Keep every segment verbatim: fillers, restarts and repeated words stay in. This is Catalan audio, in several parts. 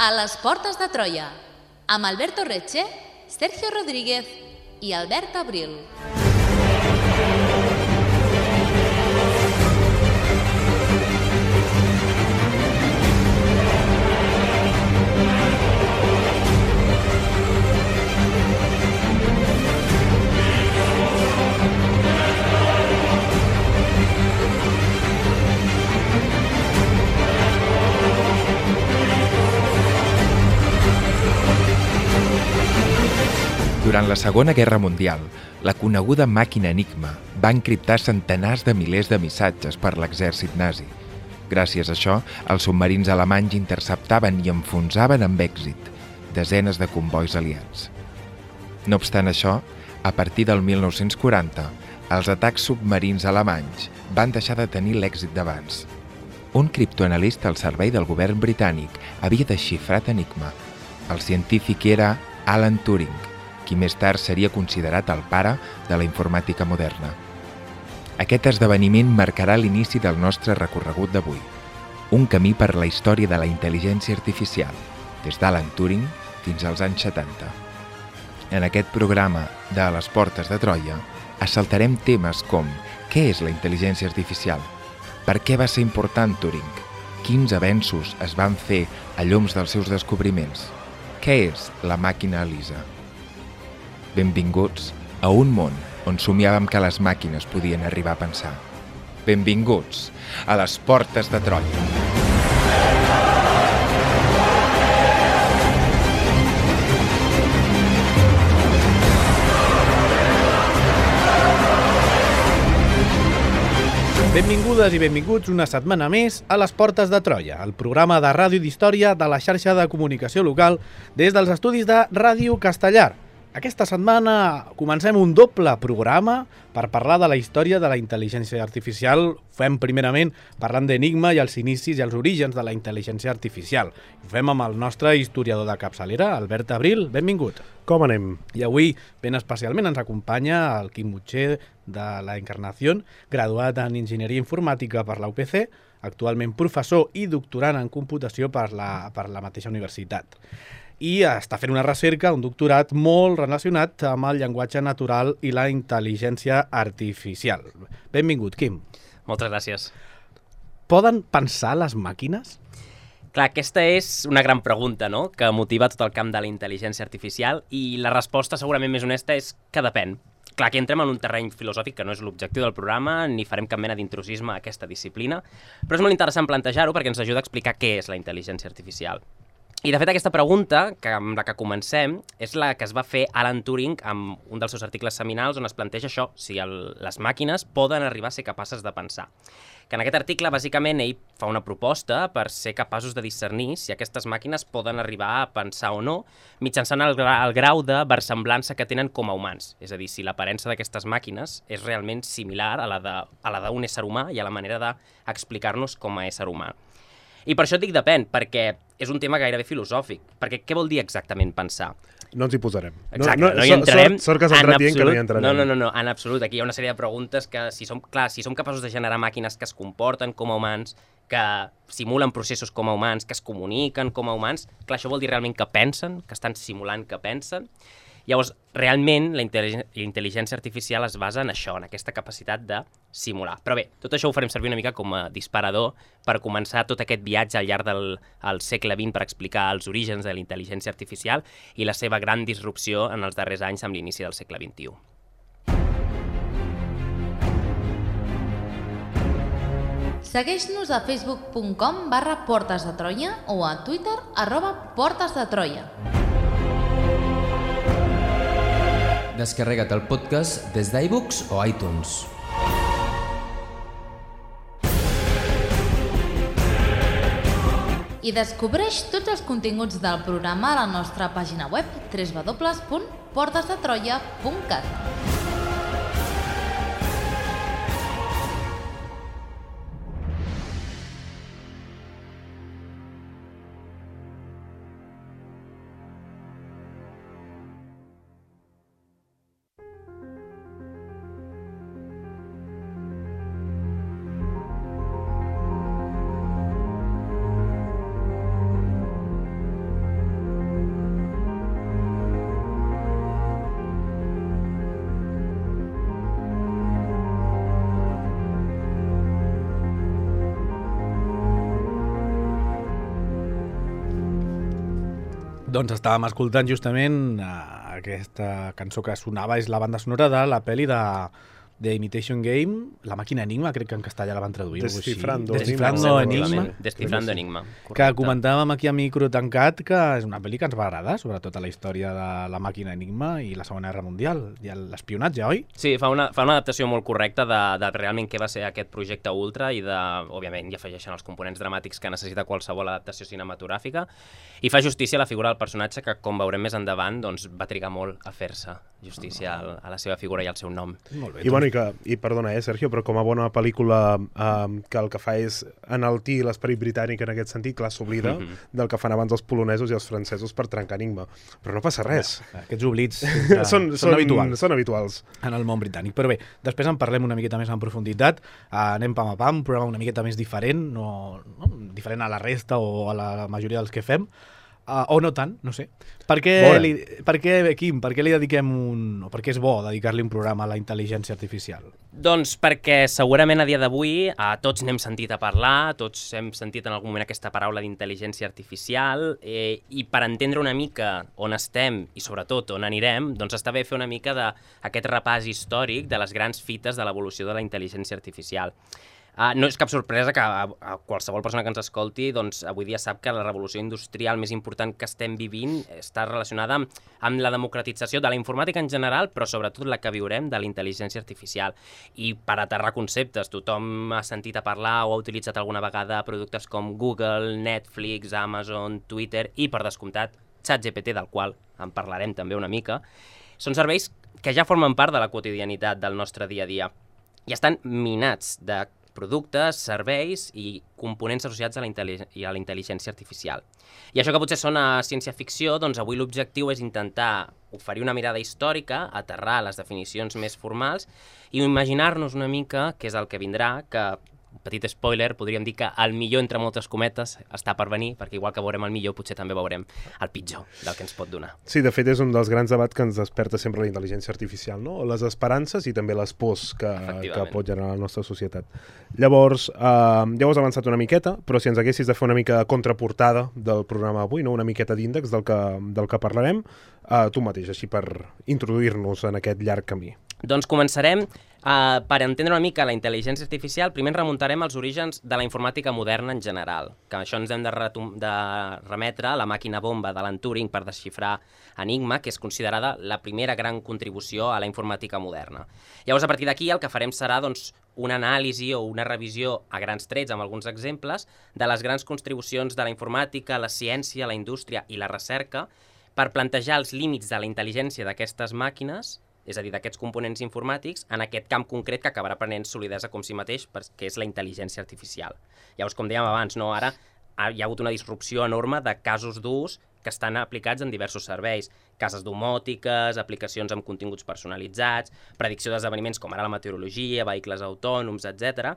A les portes de Troia, amb Alberto Reche, Sergio Rodríguez i Albert Abril. Durant la Segona Guerra Mundial, la coneguda màquina Enigma va encriptar centenars de milers de missatges per l'exèrcit nazi. Gràcies a això, els submarins alemanys interceptaven i enfonsaven amb èxit desenes de combois aliats. No obstant això, a partir del mil nou-cents quaranta, els atacs submarins alemanys van deixar de tenir l'èxit d'abans. Un criptoanalista al servei del govern britànic havia desxifrat Enigma. El científic era Alan Turing, qui més tard seria considerat el pare de la informàtica moderna. Aquest esdeveniment marcarà l'inici del nostre recorregut d'avui, un camí per la història de la intel·ligència artificial, des d'Alan Turing fins als anys setanta. En aquest programa de A les portes de Troia assaltarem temes com què és la intel·ligència artificial, per què va ser important Turing, quins avenços es van fer a llums dels seus descobriments, què és la màquina Elisa. Benvinguts a un món on somiàvem que les màquines podien arribar a pensar. Benvinguts a les portes de Troia. Benvingudes i benvinguts una setmana més a les Portes de Troia, el programa de ràdio d'història de la xarxa de comunicació local des dels estudis de Ràdio Castellar. Aquesta setmana comencem un doble programa per parlar de la història de la intel·ligència artificial. Ho fem primerament parlant d'Enigma i els inicis i els orígens de la intel·ligència artificial. Ho fem amb el nostre historiador de capçalera, Albert Abril. Benvingut. Com anem? I avui, ben especialment, ens acompanya el Quim Mutxer de la Encarnación, graduat en Enginyeria Informàtica per la U P C, actualment professor i doctorant en computació per la, per la mateixa universitat. I està fent una recerca, un doctorat molt relacionat amb el llenguatge natural i la intel·ligència artificial. Benvingut, Quim. Moltes gràcies. Poden pensar les màquines? Clar, aquesta és una gran pregunta, no?, que motiva tot el camp de la intel·ligència artificial, i la resposta segurament més honesta és que depèn. Clar, aquí entrem en un terreny filosòfic que no és l'objectiu del programa, ni farem cap mena d'intrusisme a aquesta disciplina, però és molt interessant plantejar-ho perquè ens ajuda a explicar què és la intel·ligència artificial. I, de fet, aquesta pregunta, que amb la que comencem, és la que es va fer Alan Turing amb un dels seus articles seminals on es planteja això, si el, les màquines poden arribar a ser capaces de pensar. Que en aquest article, bàsicament, ell fa una proposta per ser capaços de discernir si aquestes màquines poden arribar a pensar o no, mitjançant el, gra el grau de versemblança que tenen com a humans. És a dir, si l'aparença d'aquestes màquines és realment similar a la d'un ésser humà i a la manera d'explicar-nos com a ésser humà. I per això et dic depèn, perquè és un tema gairebé filosòfic. Perquè què vol dir exactament pensar? No ens hi posarem. Exacte, no, no, no hi entrarem. Sort, sort que s'ha entrat dient que no hi entrarem. No, no, no, no, en absolut. Aquí hi ha una sèrie de preguntes que, si som, clar, si som capaços de generar màquines que es comporten com a humans, que simulen processos com a humans, que es comuniquen com a humans, clar, això vol dir realment que pensen, que estan simulant que pensen. Llavors, realment, la intel·ligència artificial es basa en això, en aquesta capacitat de simular. Però bé, tot això ho farem servir una mica com a disparador per començar tot aquest viatge al llarg del al segle vint per explicar els orígens de la intel·ligència artificial i la seva gran disrupció en els darrers anys amb l'inici del segle vint-i-u. Segueix-nos a facebook punt com barra portes de Troia o a Twitter arroba portes de Troia. Descarrega't el podcast des d'iBooks o iTunes. I descobreix tots els continguts del programa a la nostra pàgina web w w w punt portes de troia punt cat. Doncs estàvem escoltant justament uh, aquesta cançó que sonava, és la banda sonora de la pel·li de The Imitation Game, La màquina Enigma, crec que en castellà la van traduir. Descifrando, Descifrando Enigma. Descifrando Enigma. Que comentàvem aquí a micro tancat que és una pel·li que ens va agradar, sobretot a la història de la màquina Enigma i la Segona Guerra Mundial, i l'espionatge, oi? Sí, fa una, fa una adaptació molt correcta de, de realment què va ser aquest projecte Ultra i de, òbviament, hi afegeixen els components dramàtics que necessita qualsevol adaptació cinematogràfica i fa justícia a la figura del personatge que, com veurem més endavant, doncs, va trigar molt a fer-se justícia a, a la seva figura i al seu nom. Molt bé. I, bueno, i, que, i perdona, eh, Sergio, però com a bona pel·lícula eh, que el que fa és enaltir l'esperit britànic en aquest sentit, clar, s'oblida mm -hmm. del que fan abans els polonesos i els francesos per trencar Enigma. Però no passa res. Ja, aquests oblits ja, són, són, són, habituals. són habituals. En el món britànic. Però bé, després en parlem una miqueta més en profunditat. Uh, anem pam a pam, un programa una miqueta més diferent, no, no, diferent a la resta o a la majoria dels que fem. Uh, o no tant, no sé. Per què, li, per què, Quim, per què li dediquem un... o per què és bo dedicar-li un programa a la intel·ligència artificial? Doncs perquè segurament a dia d'avui eh, tots n'hem sentit a parlar, tots hem sentit en algun moment aquesta paraula d'intel·ligència artificial eh, i per entendre una mica on estem i sobretot on anirem, doncs està bé fer una mica d'aquest repàs històric de les grans fites de l'evolució de la intel·ligència artificial. Uh, no és cap sorpresa que a, a qualsevol persona que ens escolti doncs, avui dia sap que la revolució industrial més important que estem vivint està relacionada amb, amb la democratització de la informàtica en general, però sobretot la que viurem de la intel·ligència artificial. I per aterrar conceptes, tothom ha sentit a parlar o ha utilitzat alguna vegada productes com Google, Netflix, Amazon, Twitter i, per descomptat, ChatGPT, del qual en parlarem també una mica. Són serveis que ja formen part de la quotidianitat del nostre dia a dia i estan minats de productes, serveis i components associats a la, i a la intel·ligència artificial. I això que potser sona ciència-ficció, doncs avui l'objectiu és intentar oferir una mirada històrica, aterrar les definicions més formals i imaginar-nos una mica què és el que vindrà, que, petit spoiler, podríem dir que el millor entre moltes cometes està per venir, perquè igual que veurem el millor, potser també veurem el pitjor del que ens pot donar. Sí, de fet és un dels grans debats que ens desperta sempre la intel·ligència artificial, no? Les esperances i també les pors que, que pot generar la nostra societat. Llavors, eh, ja ho has avançat una miqueta, però si ens haguessis de fer una mica de contraportada del programa avui, no? Una miqueta d'índex del, que, del que parlarem, eh, tu mateix, així per introduir-nos en aquest llarg camí. Doncs començarem Uh, per entendre una mica la intel·ligència artificial, primer ens remuntarem als orígens de la informàtica moderna en general, que això ens hem de, de remetre a la màquina bomba d'Alan Turing per desxifrar Enigma, que és considerada la primera gran contribució a la informàtica moderna. Llavors, a partir d'aquí, el que farem serà doncs, una anàlisi o una revisió a grans trets, amb alguns exemples, de les grans contribucions de la informàtica, la ciència, la indústria i la recerca, per plantejar els límits de la intel·ligència d'aquestes màquines, és a dir, d'aquests components informàtics, en aquest camp concret que acabarà prenent solidesa com si mateix, que és la intel·ligència artificial. Llavors, com dèiem abans, no? Ara hi ha hagut una disrupció enorme de casos d'ús que estan aplicats en diversos serveis, cases domòtiques, aplicacions amb continguts personalitzats, predicció d'esdeveniments com ara la meteorologia, vehicles autònoms, etcètera.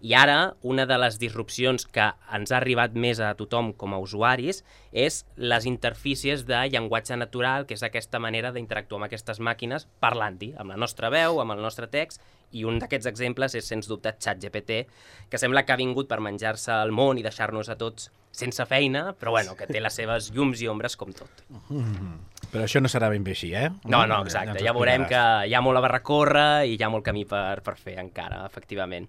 I ara, una de les disrupcions que ens ha arribat més a tothom com a usuaris és les interfícies de llenguatge natural, que és aquesta manera d'interactuar amb aquestes màquines parlant-hi, amb la nostra veu, amb el nostre text, i un d'aquests exemples és, sens dubte, ChatGPT, que sembla que ha vingut per menjar-se el món i deixar-nos a tots sense feina, però bueno, que té les seves llums i ombres com tot. Mm-hmm. Però això no serà ben bé així, eh? No, no, exacte. Ja veurem que hi ha molt a recórrer i hi ha molt camí per, per fer encara, efectivament.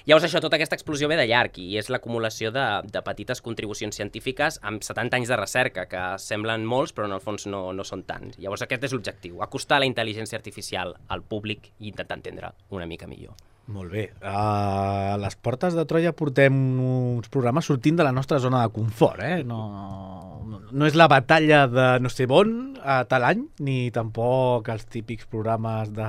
Llavors això, tota aquesta explosió ve de llarg i és l'acumulació de, de petites contribucions científiques amb setanta anys de recerca, que semblen molts però en el fons no, no són tants. Llavors aquest és l'objectiu, acostar la intel·ligència artificial al públic i intentar entendre una mica millor. Molt bé. A les portes de Troia portem uns programes sortint de la nostra zona de confort, eh? No, no és la batalla de no sé on a tal any, ni tampoc els típics programes de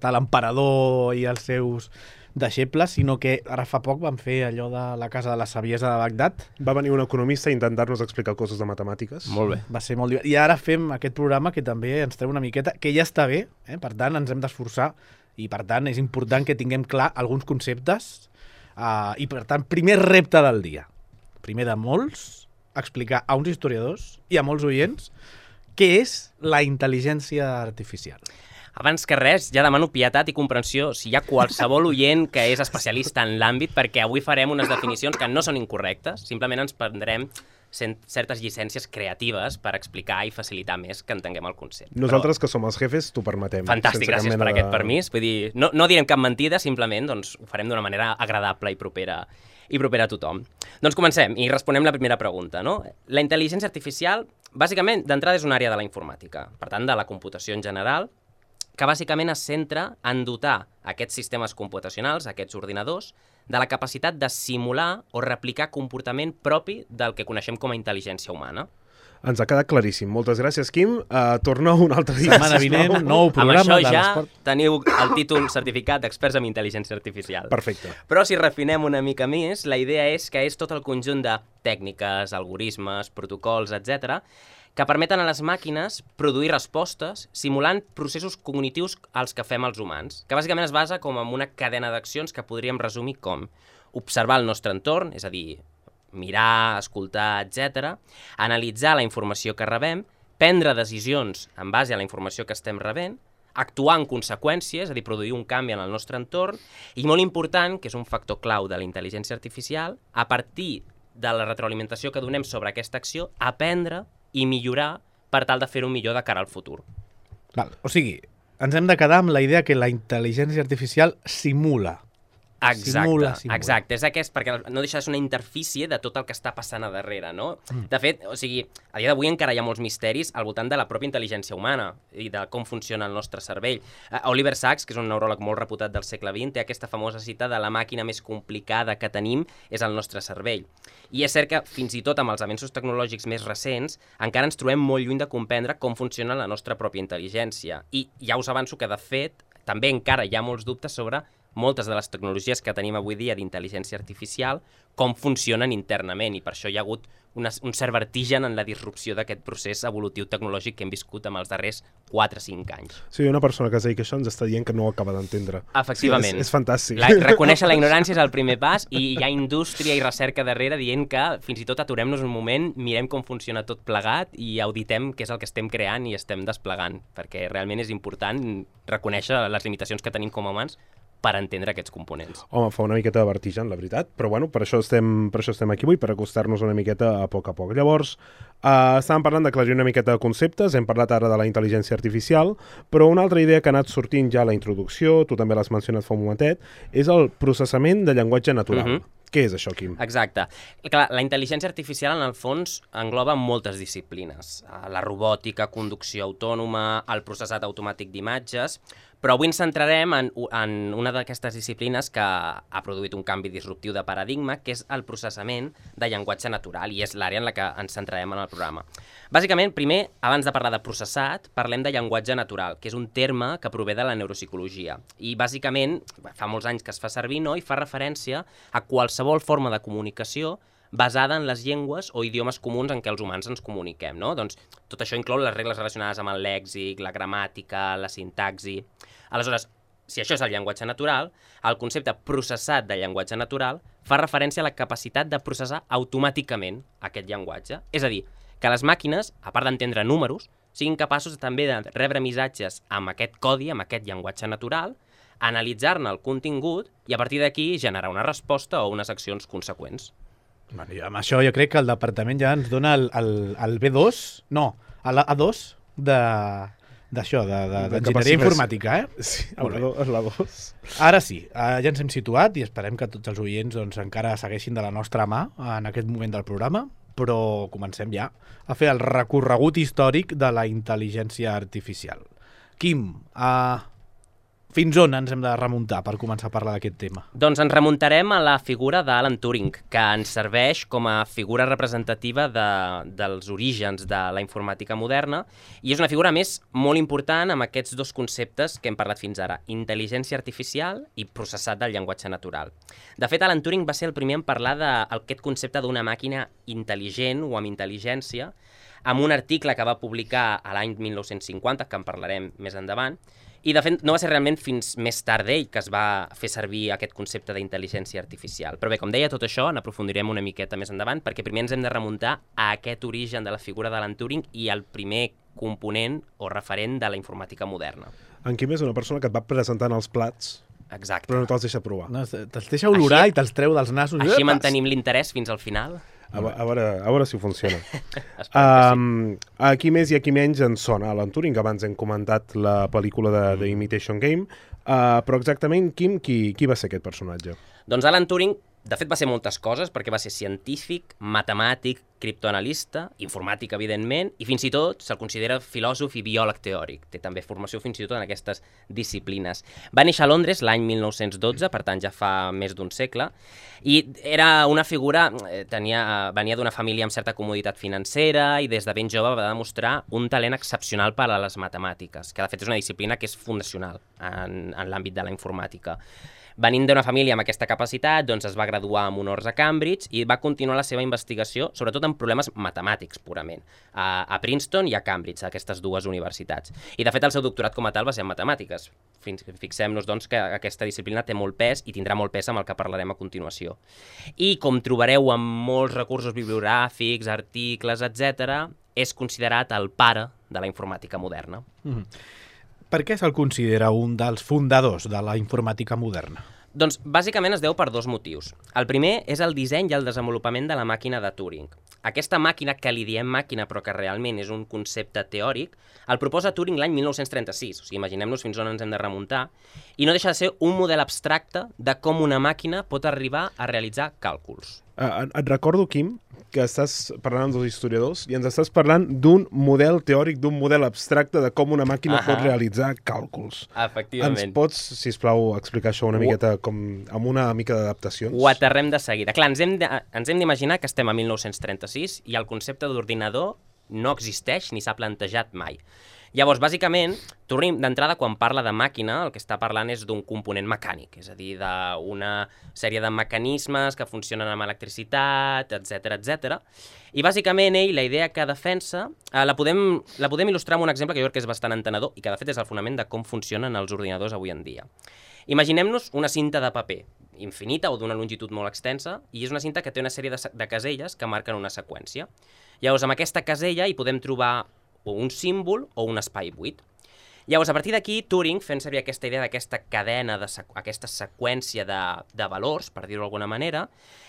tal emperador i els seus deixebles, sinó que ara fa poc vam fer allò de la Casa de la Saviesa de Bagdad. Va venir un economista a intentar-nos explicar coses de matemàtiques. Molt bé. Va ser molt divertit. I ara fem aquest programa que també ens treu una miqueta, que ja està bé, eh? Per tant ens hem d'esforçar i per tant és important que tinguem clar alguns conceptes uh, i per tant primer repte del dia, primer de molts, explicar a uns historiadors i a molts oients què és la intel·ligència artificial. Abans que res, ja demano pietat i comprensió si hi ha qualsevol oient que és especialista en l'àmbit, perquè avui farem unes definicions que no són incorrectes, simplement ens prendrem certes llicències creatives per explicar i facilitar més que entenguem el concepte. Nosaltres, Però... que som els jefes, t'ho permetem. Fantàstic, gràcies per de... aquest permís. Vull dir, no, no direm cap mentida, simplement doncs, ho farem d'una manera agradable i propera, i propera a tothom. Doncs comencem i responem la primera pregunta. No? La intel·ligència artificial, bàsicament, d'entrada és una àrea de la informàtica, per tant, de la computació en general, que bàsicament es centra en dotar aquests sistemes computacionals, aquests ordinadors, de la capacitat de simular o replicar comportament propi del que coneixem com a intel·ligència humana. Ens ha quedat claríssim. Moltes gràcies, Quim. Uh, torna un altre dia. Setmana vinent, nou programa de l'esport. Amb això ja teniu el títol certificat d'experts en intel·ligència artificial. Perfecte. Però si refinem una mica més, la idea és que és tot el conjunt de tècniques, algoritmes, protocols, etcètera, que permeten a les màquines produir respostes simulant processos cognitius als que fem els humans, que bàsicament es basa com en una cadena d'accions que podríem resumir com observar el nostre entorn, és a dir, mirar, escoltar, etcètera, analitzar la informació que rebem, prendre decisions en base a la informació que estem rebent, actuar en conseqüències, és a dir, produir un canvi en el nostre entorn, i molt important, que és un factor clau de la intel·ligència artificial, a partir de la retroalimentació que donem sobre aquesta acció, aprendre i millorar per tal de fer-ho millor de cara al futur. Val. O sigui, ens hem de quedar amb la idea que la intel·ligència artificial simula. Exacte, simula, simula. exacte. És aquest, perquè no deixa de ser una interfície de tot el que està passant a darrere, no? Mm. De fet, o sigui, a dia d'avui encara hi ha molts misteris al voltant de la pròpia intel·ligència humana i de com funciona el nostre cervell. Uh, Oliver Sacks, que és un neuròleg molt reputat del segle vint, té aquesta famosa cita de la màquina més complicada que tenim és el nostre cervell. I és cert que, fins i tot amb els avenços tecnològics més recents, encara ens trobem molt lluny de comprendre com funciona la nostra pròpia intel·ligència. I ja us avanço que, de fet, també encara hi ha molts dubtes sobre moltes de les tecnologies que tenim avui dia d'intel·ligència artificial, com funcionen internament, i per això hi ha hagut una, un cert vertigen en la disrupció d'aquest procés evolutiu tecnològic que hem viscut en els darrers quatre o cinc anys. Sí, una persona que es dedica a això ens està dient que no ho acaba d'entendre. Efectivament. Sí, és, és fantàstic. La, reconèixer la ignorància és el primer pas, i hi ha indústria i recerca darrere dient que fins i tot aturem-nos un moment, mirem com funciona tot plegat i auditem què és el que estem creant i estem desplegant, perquè realment és important reconèixer les limitacions que tenim com a humans per entendre aquests components. Home, fa una miqueta de vertigen, la veritat, però bueno, per això estem, per això estem aquí avui, per acostar-nos una miqueta a poc a poc. Llavors, eh, estàvem parlant d'aclarir una miqueta de conceptes, hem parlat ara de la intel·ligència artificial, però una altra idea que ha anat sortint ja a la introducció, tu també l'has mencionat fa un momentet, és el processament de llenguatge natural. Uh-huh. Què és això, Quim? Exacte. Clar, la intel·ligència artificial, en el fons, engloba moltes disciplines. La robòtica, conducció autònoma, el processat automàtic d'imatges, però avui ens centrarem en, en una d'aquestes disciplines que ha produït un canvi disruptiu de paradigma, que és el processament de llenguatge natural, i és l'àrea en la que ens centrarem en el programa. Bàsicament, primer, abans de parlar de processat, parlem de llenguatge natural, que és un terme que prové de la neuropsicologia. I bàsicament, fa molts anys que es fa servir, no?, i fa referència a qualsevol forma de comunicació basada en les llengües o idiomes comuns en què els humans ens comuniquem, no? Doncs tot això inclou les regles relacionades amb el lèxic, la gramàtica, la sintaxi. Aleshores, si això és el llenguatge natural, el concepte processat de llenguatge natural fa referència a la capacitat de processar automàticament aquest llenguatge. És a dir, que les màquines, a part d'entendre números, siguin capaços també de rebre missatges amb aquest codi, amb aquest llenguatge natural, analitzar-ne el contingut i a partir d'aquí generar una resposta o unes accions conseqüents. Bueno, i amb això jo crec que el departament ja ens dona el, el, el B dos, no, el A dos de d'això, d'enginyeria informàtica, eh? Sí, el A dos. Ara sí, ja ens hem situat i esperem que tots els oients doncs, encara segueixin de la nostra mà en aquest moment del programa, però comencem ja a fer el recorregut històric de la intel·ligència artificial. Quim, uh, fins on ens hem de remuntar per començar a parlar d'aquest tema? Doncs ens remuntarem a la figura d'Alan Turing, que ens serveix com a figura representativa de, dels orígens de la informàtica moderna, i és una figura més molt important amb aquests dos conceptes que hem parlat fins ara, intel·ligència artificial i processat del llenguatge natural. De fet, Alan Turing va ser el primer en parlar d'aquest concepte d'una màquina intel·ligent o amb intel·ligència, amb un article que va publicar a l'any mil nou-cents cinquanta, que en parlarem més endavant, i de fet no va ser realment fins més tard d'ell que es va fer servir aquest concepte d'intel·ligència artificial. Però bé, com deia, tot això n'aprofundirem una miqueta més endavant, perquè primer ens hem de remuntar a aquest origen de la figura d'Alan Turing i al primer component o referent de la informàtica moderna. En Quim és una persona que et va presentant els plats Exacte. però no te'ls deixa provar. No, te'ls deixa olorar Així- i te'ls treu dels nassos. Així Epa! mantenim l'interès fins al final. A, ve- a, veure, a veure si funciona. Esperem que sí. Um, aquí més i aquí menys ens sona Alan Turing. Abans hem comentat la pel·lícula de The Imitation Game, uh, però exactament, Quim, qui, qui va ser aquest personatge? Doncs Alan Turing, de fet, va ser moltes coses, perquè va ser científic, matemàtic, criptoanalista, informàtic, evidentment, i fins i tot se'l considera filòsof i biòleg teòric. Té també formació fins i tot en aquestes disciplines. Va néixer a Londres l'any mil nou-cents dotze, per tant ja fa més d'un segle, i era una figura, eh, tenia, venia d'una família amb certa comoditat financera i des de ben jove va demostrar un talent excepcional per a les matemàtiques, que de fet és una disciplina que és fundacional en, en l'àmbit de la informàtica. Venint d'una família amb aquesta capacitat, doncs es va graduar amb honors a Cambridge i va continuar la seva investigació, sobretot en problemes matemàtics, purament, a, a Princeton i a Cambridge, a aquestes dues universitats. I, de fet, el seu doctorat com a tal va ser en matemàtiques. Fins, fixem-nos, doncs, que aquesta disciplina té molt pes i tindrà molt pes amb el que parlarem a continuació. I, com trobareu en molts recursos bibliogràfics, articles, etcètera, és considerat el pare de la informàtica moderna. Mm-hmm. Per què se'l considera un dels fundadors de la informàtica moderna? Doncs bàsicament es deu per dos motius. El primer és el disseny i el desenvolupament de la màquina de Turing. Aquesta màquina, que li diem màquina però que realment és un concepte teòric, el proposa Turing l'any mil nou-cents trenta-sis, o sigui, imaginem-nos fins on ens hem de remuntar, i no deixa de ser un model abstracte de com una màquina pot arribar a realitzar càlculs. Uh, et recordo, Quim, que estàs parlant amb dos historiadors i ens estàs parlant d'un model teòric, d'un model abstracte de com una màquina Ahà. pot realitzar càlculs. Efectivament. Ens pots, sisplau, explicar això una miqueta com, amb una mica d'adaptacions? Ho aterrem de seguida. Clar, ens hem de- ens hem d'imaginar que estem a mil nou-cents trenta-sis i el concepte d'ordinador no existeix ni s'ha plantejat mai. Llavors, bàsicament, Turing, d'entrada, quan parla de màquina, el que està parlant és d'un component mecànic, és a dir, d'una sèrie de mecanismes que funcionen amb electricitat, etcètera, etcètera. I, bàsicament, ell, la idea que defensa, eh, la, podem, la podem il·lustrar amb un exemple que jo crec que és bastant entenedor i que, de fet, és el fonament de com funcionen els ordinadors avui en dia. Imaginem-nos una cinta de paper infinita o d'una longitud molt extensa, i és una cinta que té una sèrie de, de caselles que marquen una seqüència. Llavors, amb aquesta casella hi podem trobar o un símbol o un espai buit. Llavors, a partir d'aquí, Turing, fent servir aquesta idea d'aquesta cadena, de sequ aquesta seqüència de, de valors, per dir-ho d'alguna manera,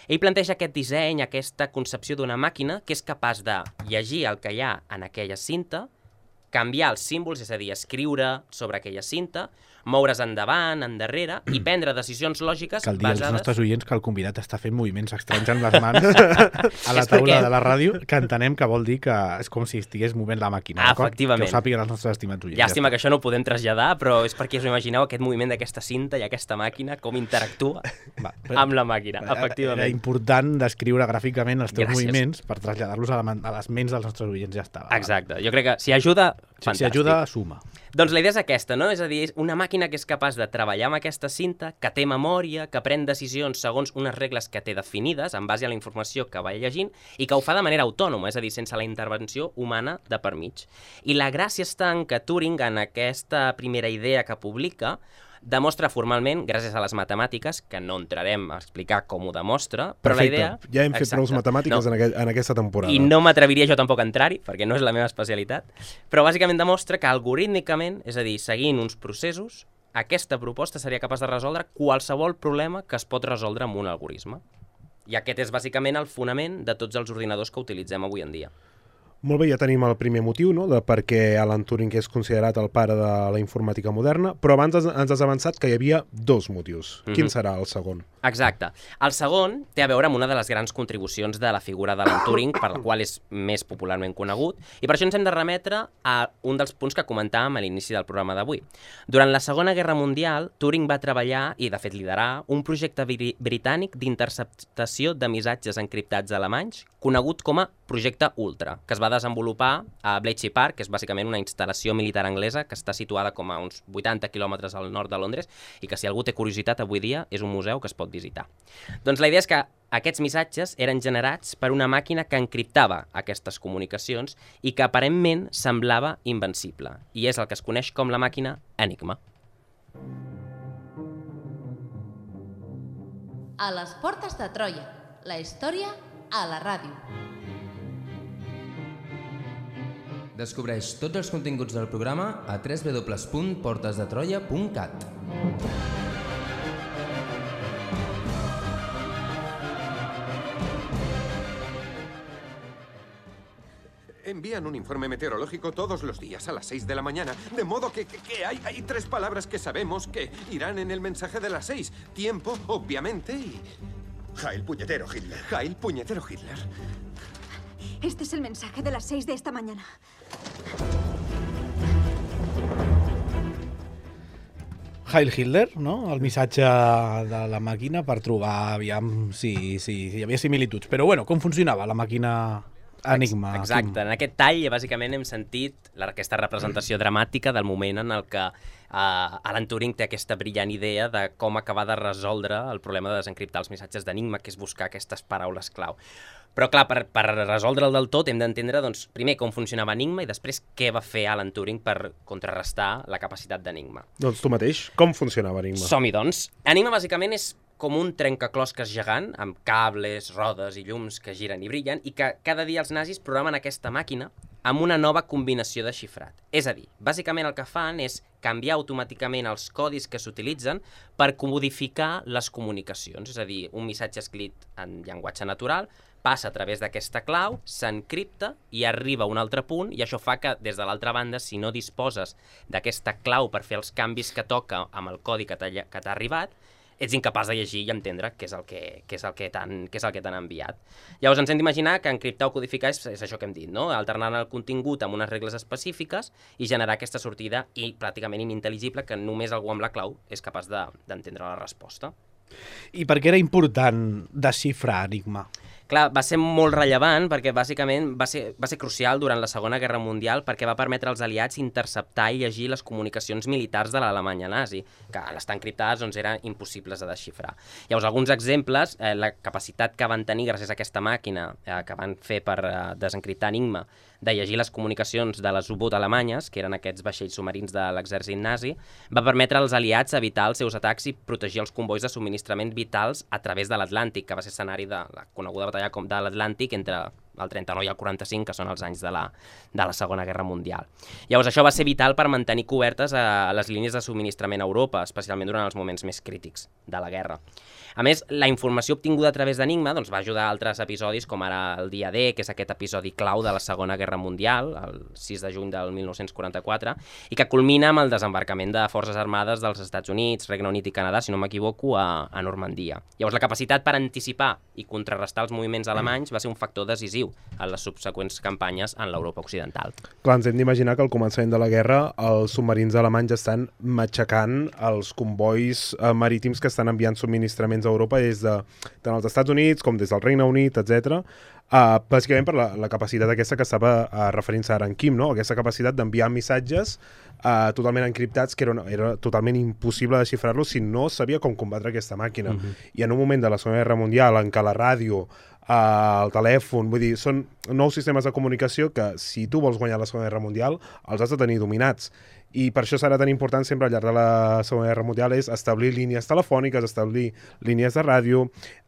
ell planteja aquest disseny, aquesta concepció d'una màquina que és capaç de llegir el que hi ha en aquella cinta, canviar els símbols, és a dir, escriure sobre aquella cinta, moure's endavant, endarrere, i prendre decisions lògiques Cal dir als basades... nostres oients que el convidat està fent moviments estranys amb les mans a la És taula perquè- de la ràdio, que entenem que vol dir que és com si estigués movent la màquina, Ah, d'acord? efectivament. Que ho sàpiguen els nostres estimats oients. Llàstima que això no ho podem traslladar, però és perquè us imagineu aquest moviment d'aquesta cinta i aquesta màquina, com interactua Va, amb la màquina, Era efectivament. important descriure gràficament els teus Gràcies. moviments per traslladar-los a, la, man- a les ments dels nostres oients, ja està. va. Exacte, jo crec que si ajuda, Si, si fantàstic. ajuda, suma. Doncs la idea és aquesta, no? És a dir, és una màquina que és capaç de treballar amb aquesta cinta, que té memòria, que pren decisions segons unes regles que té definides, en base a la informació que va llegint, i que ho fa de manera autònoma, és a dir, sense la intervenció humana de per mig. I la gràcia està en que Turing, en aquesta primera idea que publica, demostra formalment, gràcies a les matemàtiques, que no entrarem a explicar com ho demostra, però Perfecte. la idea... Ja hem fet Exacte. prou matemàtiques No. en, aqu en aquesta temporada. I no m'atreviria jo tampoc a entrar-hi, perquè no és la meva especialitat, però bàsicament demostra que algorítmicament, és a dir, seguint uns processos, aquesta proposta seria capaç de resoldre qualsevol problema que es pot resoldre amb un algoritme. I aquest és bàsicament el fonament de tots els ordinadors que utilitzem avui en dia. Molt bé, ja tenim el primer motiu, no?, de per què Alan Turing és considerat el pare de la informàtica moderna, però abans ens ens has avançat que hi havia dos motius. Mhm. Quin serà el segon? Exacte. El segon té a veure amb una de les grans contribucions de la figura d'Alan Turing, per la qual és més popularment conegut, i per això ens hem de remetre a un dels punts que comentàvem a l'inici del programa d'avui. Durant la Segona Guerra Mundial, Turing va treballar, i de fet liderar, un projecte bri britànic d'interceptació de missatges encriptats alemanys, conegut com a Projecte Ultra, que es va desenvolupar a Bletchley Park, que és bàsicament una instal·lació militar anglesa que està situada com a uns vuitanta quilòmetres al nord de Londres i que, si algú té curiositat, avui dia és un museu que es pot visitar. Doncs la idea és que aquests missatges eren generats per una màquina que encriptava aquestes comunicacions i que aparentment semblava invencible, i és el que es coneix com la màquina Enigma. A les portes de Troia, la història a la ràdio. Descobreix tots els continguts del programa a w w w punt portes de troia punt cat. envían un informe meteorológico todos los días a las seis de la mañana. De modo que, que, que hay, hay tres palabras que sabemos que irán en el mensaje de las seis. Tiempo, obviamente, y... Heil puñetero Hitler. Heil puñetero Hitler. Este es el mensaje de las seis de esta mañana. Heil Hitler, no? El missatge de la màquina per trobar, aviam, si, si, si hi havia similituds. Però, bueno, com funcionava la màquina Enigma? Exacte, Quim? En aquest tall, bàsicament, hem sentit aquesta representació dramàtica del moment en el que uh, Alan Turing té aquesta brillant idea de com acabar de resoldre el problema de desencriptar els missatges d'Enigma, que és buscar aquestes paraules clau. Però, clar, per, per resoldre'l del tot hem d'entendre, doncs, primer com funcionava Enigma i després què va fer Alan Turing per contrarrestar la capacitat d'Enigma. Doncs tu mateix, com funcionava Enigma? Som-hi, doncs. Enigma, bàsicament, és com un trencaclosques gegant, amb cables, rodes i llums que giren i brillen, i que cada dia els nazis programen aquesta màquina amb una nova combinació de xifrat. És a dir, bàsicament el que fan és canviar automàticament els codis que s'utilitzen per codificar les comunicacions. És a dir, un missatge escrit en llenguatge natural passa a través d'aquesta clau, s'encripta i arriba a un altre punt, i això fa que, des de l'altra banda, si no disposes d'aquesta clau per fer els canvis que toca amb el codi que t'ha arribat, ets incapaç de llegir i entendre què és el que, què és el que t'han què és el que t'han enviat. Llavors ens hem d'imaginar que encriptar o codificar és, és això que hem dit, no? Alternant el contingut amb unes regles específiques i generar aquesta sortida i pràcticament inintel·ligible que només algú amb la clau és capaç d'entendre de, la resposta. I per què era important desxifrar Enigma? Clar, va ser molt rellevant perquè bàsicament va ser, va ser crucial durant la Segona Guerra Mundial perquè va permetre als aliats interceptar i llegir les comunicacions militars de l'Alemanya nazi, que al estar encriptades doncs, eren impossibles de desxifrar. Llavors, alguns exemples, eh, la capacitat que van tenir gràcies a aquesta màquina eh, que van fer per eh, desencriptar Enigma, de llegir les comunicacions de les U-boot alemanyes, que eren aquests vaixells submarins de l'exèrcit nazi, va permetre als aliats evitar els seus atacs i protegir els convois de subministrament vitals a través de l'Atlàntic, que va ser escenari de la coneguda batalla com de l'Atlàntic entre el trenta-nou i el quaranta-cinc, que són els anys de la, de la Segona Guerra Mundial. Llavors, això va ser vital per mantenir cobertes a les línies de subministrament a Europa, especialment durant els moments més crítics de la guerra. A més, la informació obtinguda a través d'Enigma doncs, va ajudar a altres episodis, com ara el dia D, que és aquest episodi clau de la Segona Guerra Mundial, el sis de juny del mil nou-cents quaranta-quatre, i que culmina amb el desembarcament de forces armades dels Estats Units, Regne Unit i Canadà, si no m'equivoco, a, a Normandia. Llavors, la capacitat per anticipar i contrarrestar els moviments alemanys va ser un factor decisiu en les subseqüents campanyes en l'Europa occidental. Clar, ens hem d'imaginar que al començament de la guerra els submarins alemanys estan matxacant els convois eh, marítims que estan enviant subministraments a Europa des de tant els Estats Units com des del Regne Unit, etcètera. Uh, bàsicament per la, la capacitat aquesta que estava uh, referint-se ara en Quim, no? Aquesta capacitat d'enviar missatges uh, totalment encriptats que era, era totalment impossible desxifrar-los si no sabia com combatre aquesta màquina. Uh-huh. I en un moment de la Segona Guerra Mundial en què la ràdio, uh, el telèfon, vull dir, són nous sistemes de comunicació que si tu vols guanyar la Segona Guerra Mundial els has de tenir dominats. I per això serà tan important sempre al llarg de la Segona Guerra Mundial és establir línies telefòniques, establir línies de ràdio,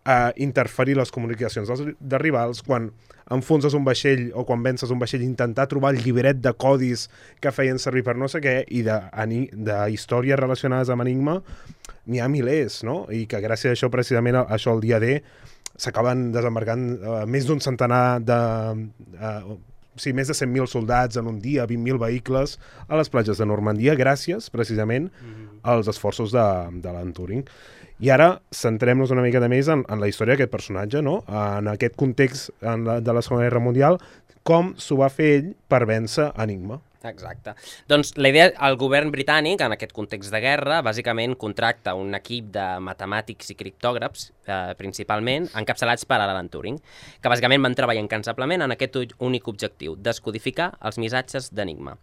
eh, interferir les comunicacions dels, de rivals, quan enfonses un vaixell o quan vences un vaixell, intentar trobar el llibret de codis que feien servir per no sé què, i de, de històries relacionades amb Enigma n'hi ha milers, no? I que gràcies a això, precisament, això el dia D, s'acaben desembarcant eh, més d'un centenar de... Eh, sí, més de cent mil soldats en un dia, vint mil vehicles a les platges de Normandia, gràcies, precisament, mm-hmm. als esforços de, de l'Alan Turing. I ara centrem-nos una mica més en, en la història d'aquest personatge, no? En aquest context en la, de la Segona Guerra Mundial, com s'ho va fer ell per vèncer Enigma. Exacte. Doncs la idea, el govern britànic, en aquest context de guerra, bàsicament contracta un equip de matemàtics i criptògrafs, eh, principalment, encapçalats per Alan Turing, que bàsicament van treballar incansablement en aquest únic objectiu, descodificar els missatges d'Enigma.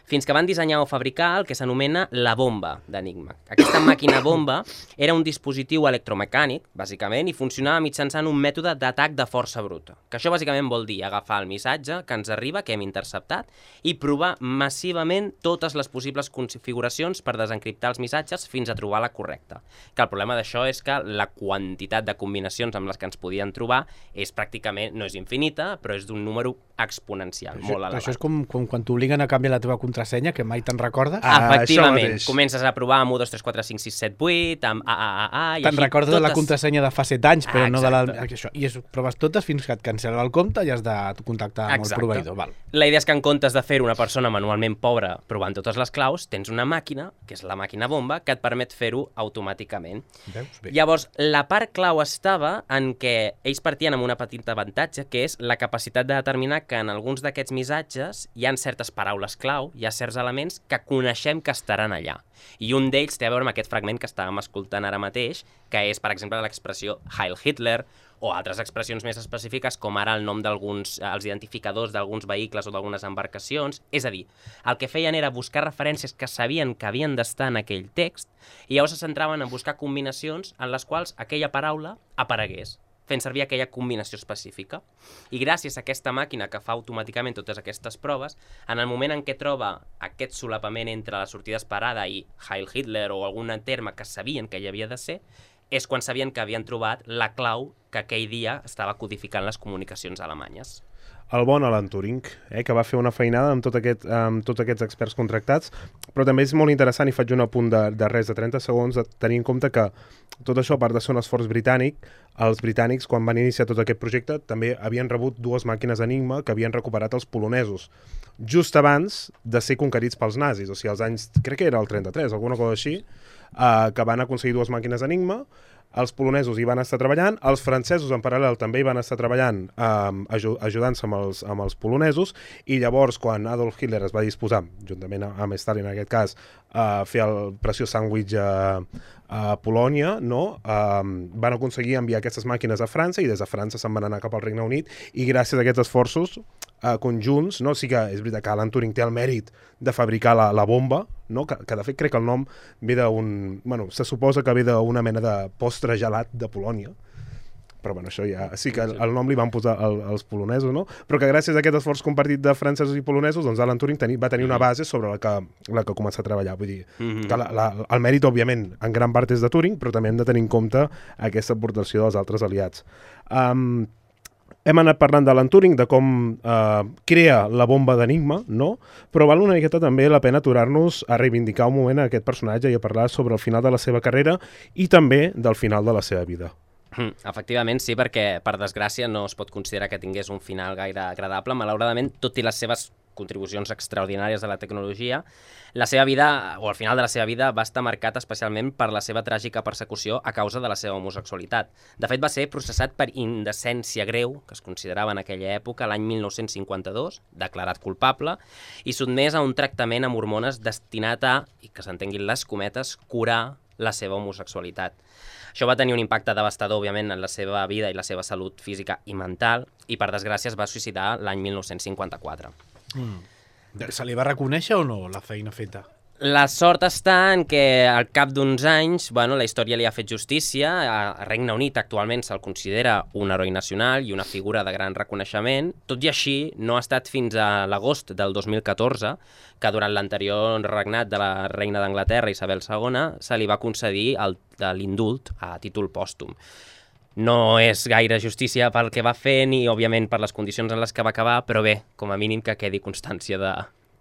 Fins que van dissenyar o fabricar el que s'anomena la bomba d'Enigma. Aquesta màquina bomba era un dispositiu electromecànic, bàsicament, i funcionava mitjançant un mètode d'atac de força bruta. Que això bàsicament vol dir agafar el missatge que ens arriba, que hem interceptat, i provar massivament totes les possibles configuracions per desencriptar els missatges fins a trobar la correcta. Que el problema d'això és que la quantitat de combinacions amb les que ens podien trobar és pràcticament, no és infinita, però és d'un número exponencial, això, molt elevat. Això és com, com quan t'obliguen a canviar la teva contrasenya, que mai te'n recordes. Ah, efectivament, comences a provar amb u, dos, tres, quatre, cinc, sis, set, vuit, amb A, A, A, A... Te'n recordes totes... de la contrasenya de fa set anys, però ah, no de la... Això. I es proves totes fins que et cancel·la el compte i has de contactar amb el proveïdor. Val. La idea és que en comptes de fer una persona manualment pobra provant totes les claus, tens una màquina, que és la màquina bomba, que et permet fer-ho automàticament. Veus? Bé. Llavors, la part clau estava en què ells partien amb una petita avantatge, que és la capacitat de determinar que en alguns d'aquests missatges hi ha certes paraules clau, hi ha certs elements que coneixem que estaran allà. I un d'ells té a veure amb aquest fragment que estàvem escoltant ara mateix, que és, per exemple, l'expressió Heil Hitler, o altres expressions més específiques, com ara el nom d'alguns, els identificadors d'alguns vehicles o d'algunes embarcacions. És a dir, el que feien era buscar referències que sabien que havien d'estar en aquell text, i llavors se centraven en buscar combinacions en les quals aquella paraula aparegués, fent servir aquella combinació específica. I gràcies a aquesta màquina que fa automàticament totes aquestes proves, en el moment en què troba aquest solapament entre la sortida esperada i Heil Hitler o algun terme que sabien que hi havia de ser, és quan sabien que havien trobat la clau que aquell dia estava codificant les comunicacions alemanyes. El bon Alan Turing, eh, que va fer una feinada amb, tot aquest, amb tots aquests experts contractats, però també és molt interessant, i faig un apunt de, de res de trenta segons, de tenir en compte que tot això, a part de ser un esforç britànic, els britànics, quan van iniciar tot aquest projecte, també havien rebut dues màquines Enigma que havien recuperat els polonesos, just abans de ser conquerits pels nazis, o sigui, als anys, crec que era el trenta-tres, alguna cosa així, eh, que van aconseguir dues màquines Enigma. Els polonesos hi van estar treballant, els francesos en paral·lel també hi van estar treballant eh, ajudant-se amb, els, amb els polonesos, i llavors quan Adolf Hitler es va disposar, juntament amb Stalin en aquest cas, a fer el preciós sàndwich a, a Polònia, no? eh, van aconseguir enviar aquestes màquines a França, i des de França se'n van anar cap al Regne Unit, i gràcies a aquests esforços eh, conjunts, no? Sí que és veritat que Alan Turing té el mèrit de fabricar la, la bomba, no? que, que de fet crec que el nom ve d'un... Bueno, se suposa que ve d'una mena de postre gelat de Polònia, però bueno, això ja... Sí que el, el nom li van posar el, els polonesos, no? Però que gràcies a aquest esforç compartit de francesos i polonesos, doncs Alan Turing teni, va tenir una base sobre la que, la que començar a treballar. Vull dir, mm-hmm. que la, la, el mèrit, òbviament, en gran part és de Turing, però també hem de tenir en compte aquesta aportació dels altres aliats. Um, Hem anat parlant d'Alan Turing, de com eh, crea la bomba d'Enigma, no? Però val una miqueta també la pena aturar-nos a reivindicar un moment a aquest personatge i a parlar sobre el final de la seva carrera i també del final de la seva vida. Efectivament, sí, perquè per desgràcia no es pot considerar que tingués un final gaire agradable. Malauradament, tot i les seves contribucions extraordinàries a la tecnologia, la seva vida, o al final de la seva vida, va estar marcat especialment per la seva tràgica persecució a causa de la seva homosexualitat. De fet, va ser processat per indecència greu, que es considerava en aquella època, l'any mil nou-cents cinquanta-dos, declarat culpable, i sotmès a un tractament amb hormones destinat a, i que s'entenguin les cometes, curar la seva homosexualitat. Això va tenir un impacte devastador, òbviament, en la seva vida i la seva salut física i mental, i per desgràcia es va suïcidar l'any mil nou-cents cinquanta-quatre. Mm. Se li va reconèixer o no la feina feta? La sort està en que al cap d'uns anys, bueno, la història li ha fet justícia. A Regne Unit actualment se'l considera un heroi nacional i una figura de gran reconeixement. Tot i així, no ha estat fins a l'agost del dos mil catorze que durant l'anterior regnat de la reina d'Anglaterra, Isabel segona, se li va concedir l'indult a títol pòstum. No és gaire justícia pel que va fer ni, òbviament, per les condicions en les que va acabar, però bé, com a mínim que quedi constància de...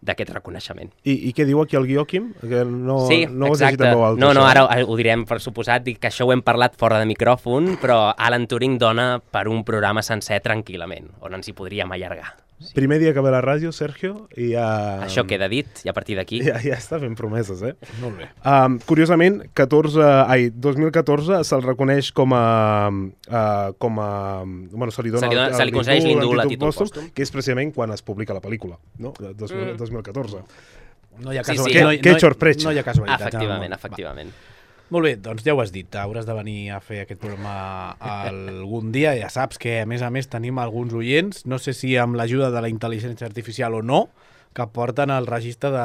d'aquest reconeixement. I, I què diu aquí el guió, Quim? Que no, sí, no exacte. No, no, ara ho direm per suposat, que això ho hem parlat fora de micròfon, però Alan Turing dona per un programa sencer tranquil·lament, on ens hi podríem allargar. Sí. Primer dia que ve la ràdio, Sergio, i ja... Això queda dit, i a partir d'aquí... Ja, ja està fent promeses, eh? Molt bé. Um, curiosament, catorze, ai, dos mil catorze se'l reconeix com a... Uh, com a bueno, se li dona... Se li, dona, el, se li concedeix l'indult a títol pòstum, pòstum, que és precisament quan es publica la pel·lícula, no? dos mil, mm. dos mil catorze. No hi ha casualitat. Sí, sí. No, que, no, que no hi ha casualitat. Efectivament, no. efectivament. Va. Molt bé, doncs ja ho has dit, hauràs de venir a fer aquest programa algun dia. Ja saps que, a més a més, tenim alguns oients, no sé si amb l'ajuda de la intel·ligència artificial o no, que porten el registre de,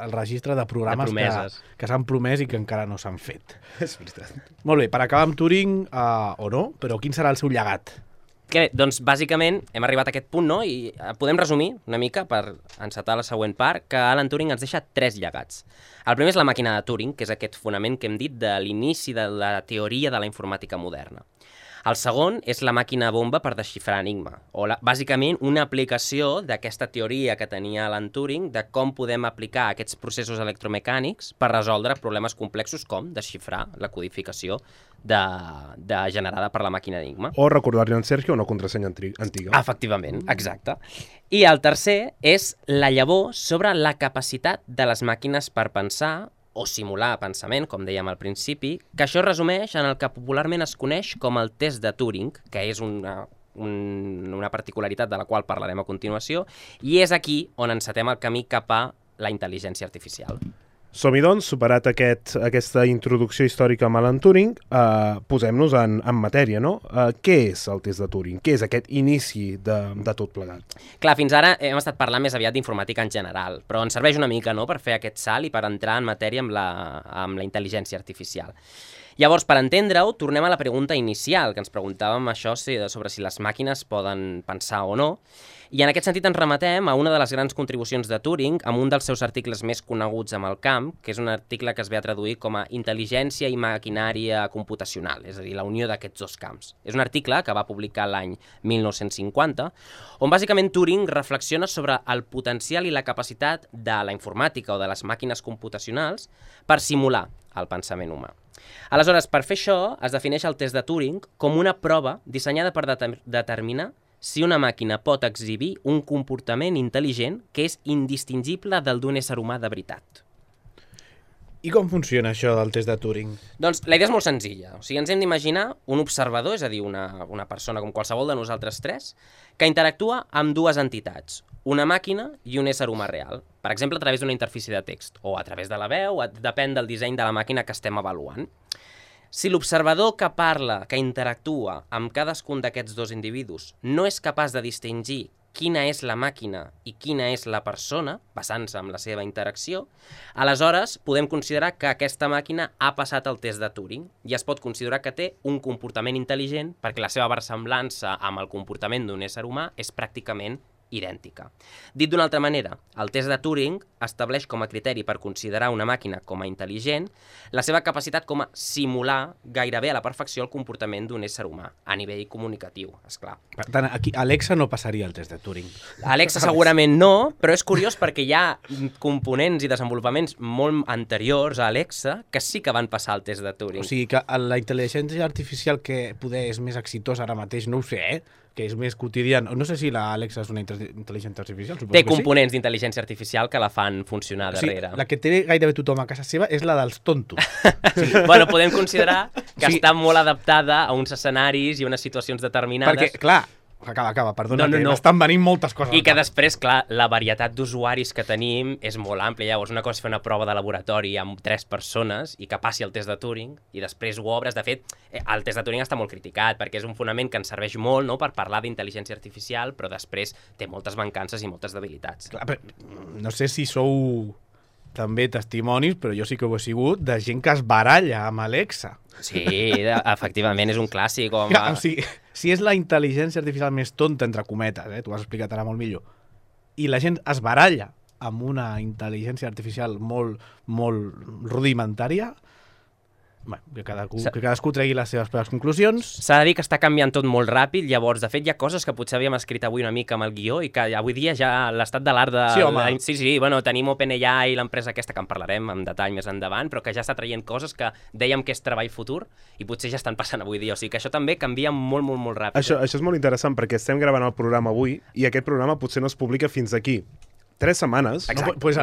el registre de programes de que, que s'han promès i que encara no s'han fet. És veritat. Molt bé, per acabar amb Turing, uh, o no, però quin serà el seu llegat? Que, doncs, bàsicament, hem arribat a aquest punt, no? I podem resumir una mica, per encetar la següent part, que Alan Turing ens deixa tres llegats. El primer és la màquina de Turing, que és aquest fonament que hem dit de l'inici de la teoria de la informàtica moderna. El segon és la màquina bomba per desxifrar Enigma, o la, bàsicament una aplicació d'aquesta teoria que tenia Alan Turing de com podem aplicar aquests processos electromecànics per resoldre problemes complexos com desxifrar la codificació de, de generada per la màquina Enigma. O recordar-li a en Sergio una contrasenya antiga. Efectivament, exacte. I el tercer és la llavor sobre la capacitat de les màquines per pensar o simular pensament, com dèiem al principi, que això es resumeix en el que popularment es coneix com el test de Turing, que és una, un, una particularitat de la qual parlarem a continuació, i és aquí on encetem el camí cap a la intel·ligència artificial. Som-hi, doncs, superat aquest, aquesta introducció històrica amb Alan Turing, eh, posem-nos en, en matèria, no? Eh, què és el test de Turing? Què és aquest inici de, de tot plegat? Clar, fins ara hem estat parlant més aviat d'informàtica en general, però ens serveix una mica, no?, per fer aquest salt i per entrar en matèria amb la, amb la intel·ligència artificial. Llavors, per entendre-ho, tornem a la pregunta inicial, que ens preguntàvem això sobre si les màquines poden pensar o no, i en aquest sentit ens remetem a una de les grans contribucions de Turing amb un dels seus articles més coneguts amb el camp, que és un article que es ve a traduir com a Intel·ligència i maquinària computacional, és a dir, la unió d'aquests dos camps. És un article que va publicar l'any mil nou-cents cinquanta, on bàsicament Turing reflexiona sobre el potencial i la capacitat de la informàtica o de les màquines computacionals per simular el pensament humà. Aleshores, per fer això, es defineix el test de Turing com una prova dissenyada per deter- determinar si una màquina pot exhibir un comportament intel·ligent que és indistingible del d'un ésser humà de veritat. I com funciona això del test de Turing? Doncs la idea és molt senzilla. O sigui, ens hem d'imaginar un observador, és a dir, una, una persona com qualsevol de nosaltres tres, que interactua amb dues entitats, una màquina i un ésser humà real. Per exemple, a través d'una interfície de text, o a través de la veu, depèn del disseny de la màquina que estem avaluant. Si l'observador que parla, que interactua amb cadascun d'aquests dos individus, no és capaç de distingir quina és la màquina i quina és la persona, basant-se en la seva interacció, aleshores podem considerar que aquesta màquina ha passat el test de Turing i es pot considerar que té un comportament intel·ligent perquè la seva versemblança amb el comportament d'un ésser humà és pràcticament idèntica. Dit d'una altra manera, el test de Turing estableix com a criteri per considerar una màquina com a intel·ligent la seva capacitat com a simular gairebé a la perfecció el comportament d'un ésser humà, a nivell comunicatiu, esclar. Per tant, aquí Alexa no passaria el test de Turing. Alexa segurament no, però és curiós perquè hi ha components i desenvolupaments molt anteriors a Alexa que sí que van passar el test de Turing. O sigui que la intel·ligència artificial que poder és més exitosa ara mateix, no ho sé, eh? Que és més quotidiana. No sé si la Alexa és una intel·ligència artificial, suposo té que components sí? d'intel·ligència artificial que la fan funcionar darrere. O sigui, la que té gairebé tothom a casa seva és la dels tontos. Sí. Bueno, podem considerar que sí. està molt adaptada a uns escenaris i unes situacions determinades. Perquè, clar, acaba, acaba, perdona, no, no, que no. estan venint moltes coses. I que després, clar, la varietat d'usuaris que tenim és molt àmplia. Llavors, una cosa és fer una prova de laboratori amb tres persones i que passi el test de Turing i després ho obres. De fet, el test de Turing està molt criticat perquè és un fonament que ens serveix molt, no?, per parlar d'intel·ligència artificial, però després té moltes mancances i moltes debilitats. Clar, però no sé si sou també testimonis, però jo sí que ho he sigut, de gent que es baralla amb Alexa. Sí, efectivament, és un clàssic. Com... Ja, o sigui, si és la intel·ligència artificial més tonta, entre cometes, eh? Tu ho has explicat ara molt millor, i la gent es baralla amb una intel·ligència artificial molt, molt rudimentària, bueno, que, cadascú, que cadascú tregui les seves proves conclusions. S'ha de dir que està canviant tot molt ràpid, llavors, de fet, hi ha coses que potser havíem escrit avui una mica amb el guió i que avui dia ja l'estat de l'art de... Sí, home. La... Sí, sí, bueno, tenim OpenAI i l'empresa aquesta que en parlarem amb detall més endavant, però que ja està traient coses que dèiem que és treball futur i potser ja estan passant avui dia. O sigui que això també canvia molt, molt, molt ràpid. Això, això és molt interessant perquè estem gravant el programa avui i aquest programa potser no es publica fins aquí tres setmanes. Exacte. No, pues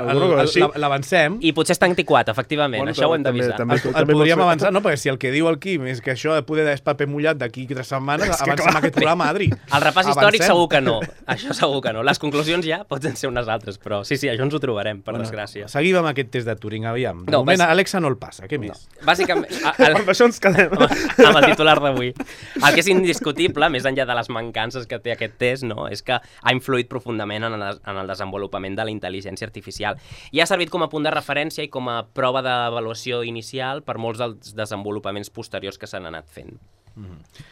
l'avancem. I potser està antiquat, efectivament. Bueno, això ho hem d'avisar. El, el podríem avançar, no? Perquè si el que diu el Quim és que això de poder és paper mullat d'aquí tres setmanes, avancem aquest programa, Adri. El repàs avancem. Històric segur que no. Això segur que no. Les conclusions ja poden ser unes altres, però sí, sí, això ens ho trobarem, per bueno, desgràcia. Seguim amb aquest test de Turing, aviam. De no, moment, bàs... Alexa no el passa. Què més? No. Bàsicament... El... Amb això ens quedem. Amb el titular d'avui. El que és indiscutible, més enllà de les mancances que té aquest test, no, és que ha influït profundament en el, en el desenvolupament de la intel·ligència artificial. I ha servit com a punt de referència i com a prova d'avaluació inicial per molts dels desenvolupaments posteriors que s'han anat fent. Mm-hmm.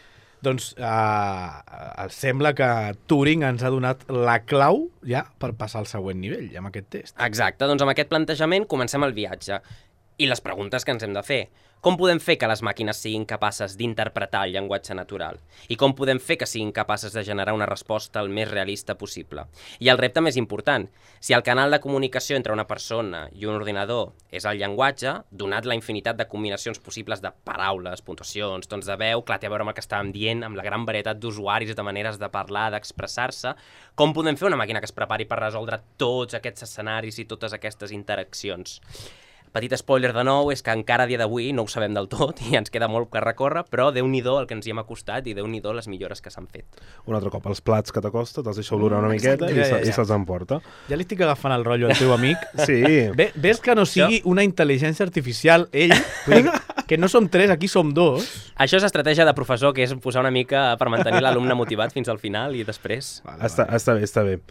Doncs uh, sembla que Turing ens ha donat la clau ja per passar al següent nivell, amb aquest test. Exacte, doncs amb aquest plantejament comencem el viatge. I les preguntes que ens hem de fer. Com podem fer que les màquines siguin capaces d'interpretar el llenguatge natural? I com podem fer que siguin capaces de generar una resposta el més realista possible? I el repte més important, si el canal de comunicació entre una persona i un ordinador és el llenguatge, donat la infinitat de combinacions possibles de paraules, puntuacions, tons de veu, clar, té a veure amb el que estàvem dient, amb la gran varietat d'usuaris, de maneres de parlar, d'expressar-se, com podem fer una màquina que es prepari per resoldre tots aquests escenaris i totes aquestes interaccions? Petit spoiler de nou, és que encara a dia d'avui no ho sabem del tot i ens queda molt que recórrer, però Déu-n'hi-do el que ens hi hem acostat i Déu-n'hi-do les millores que s'han fet. Un altre cop, els plats que t'acosta, te'ls deixa olorar una miqueta i, ja, ja, ja. i se'ls emporta. Ja li estic agafant el rotllo al teu amic. Sí. Ve, ves que no sigui una intel·ligència artificial, ell, vull dir, que no som tres, aquí som dos. Això és estratègia de professor, que és posar una mica per mantenir l'alumne motivat fins al final i després... Vale, està, vale. està bé, està bé.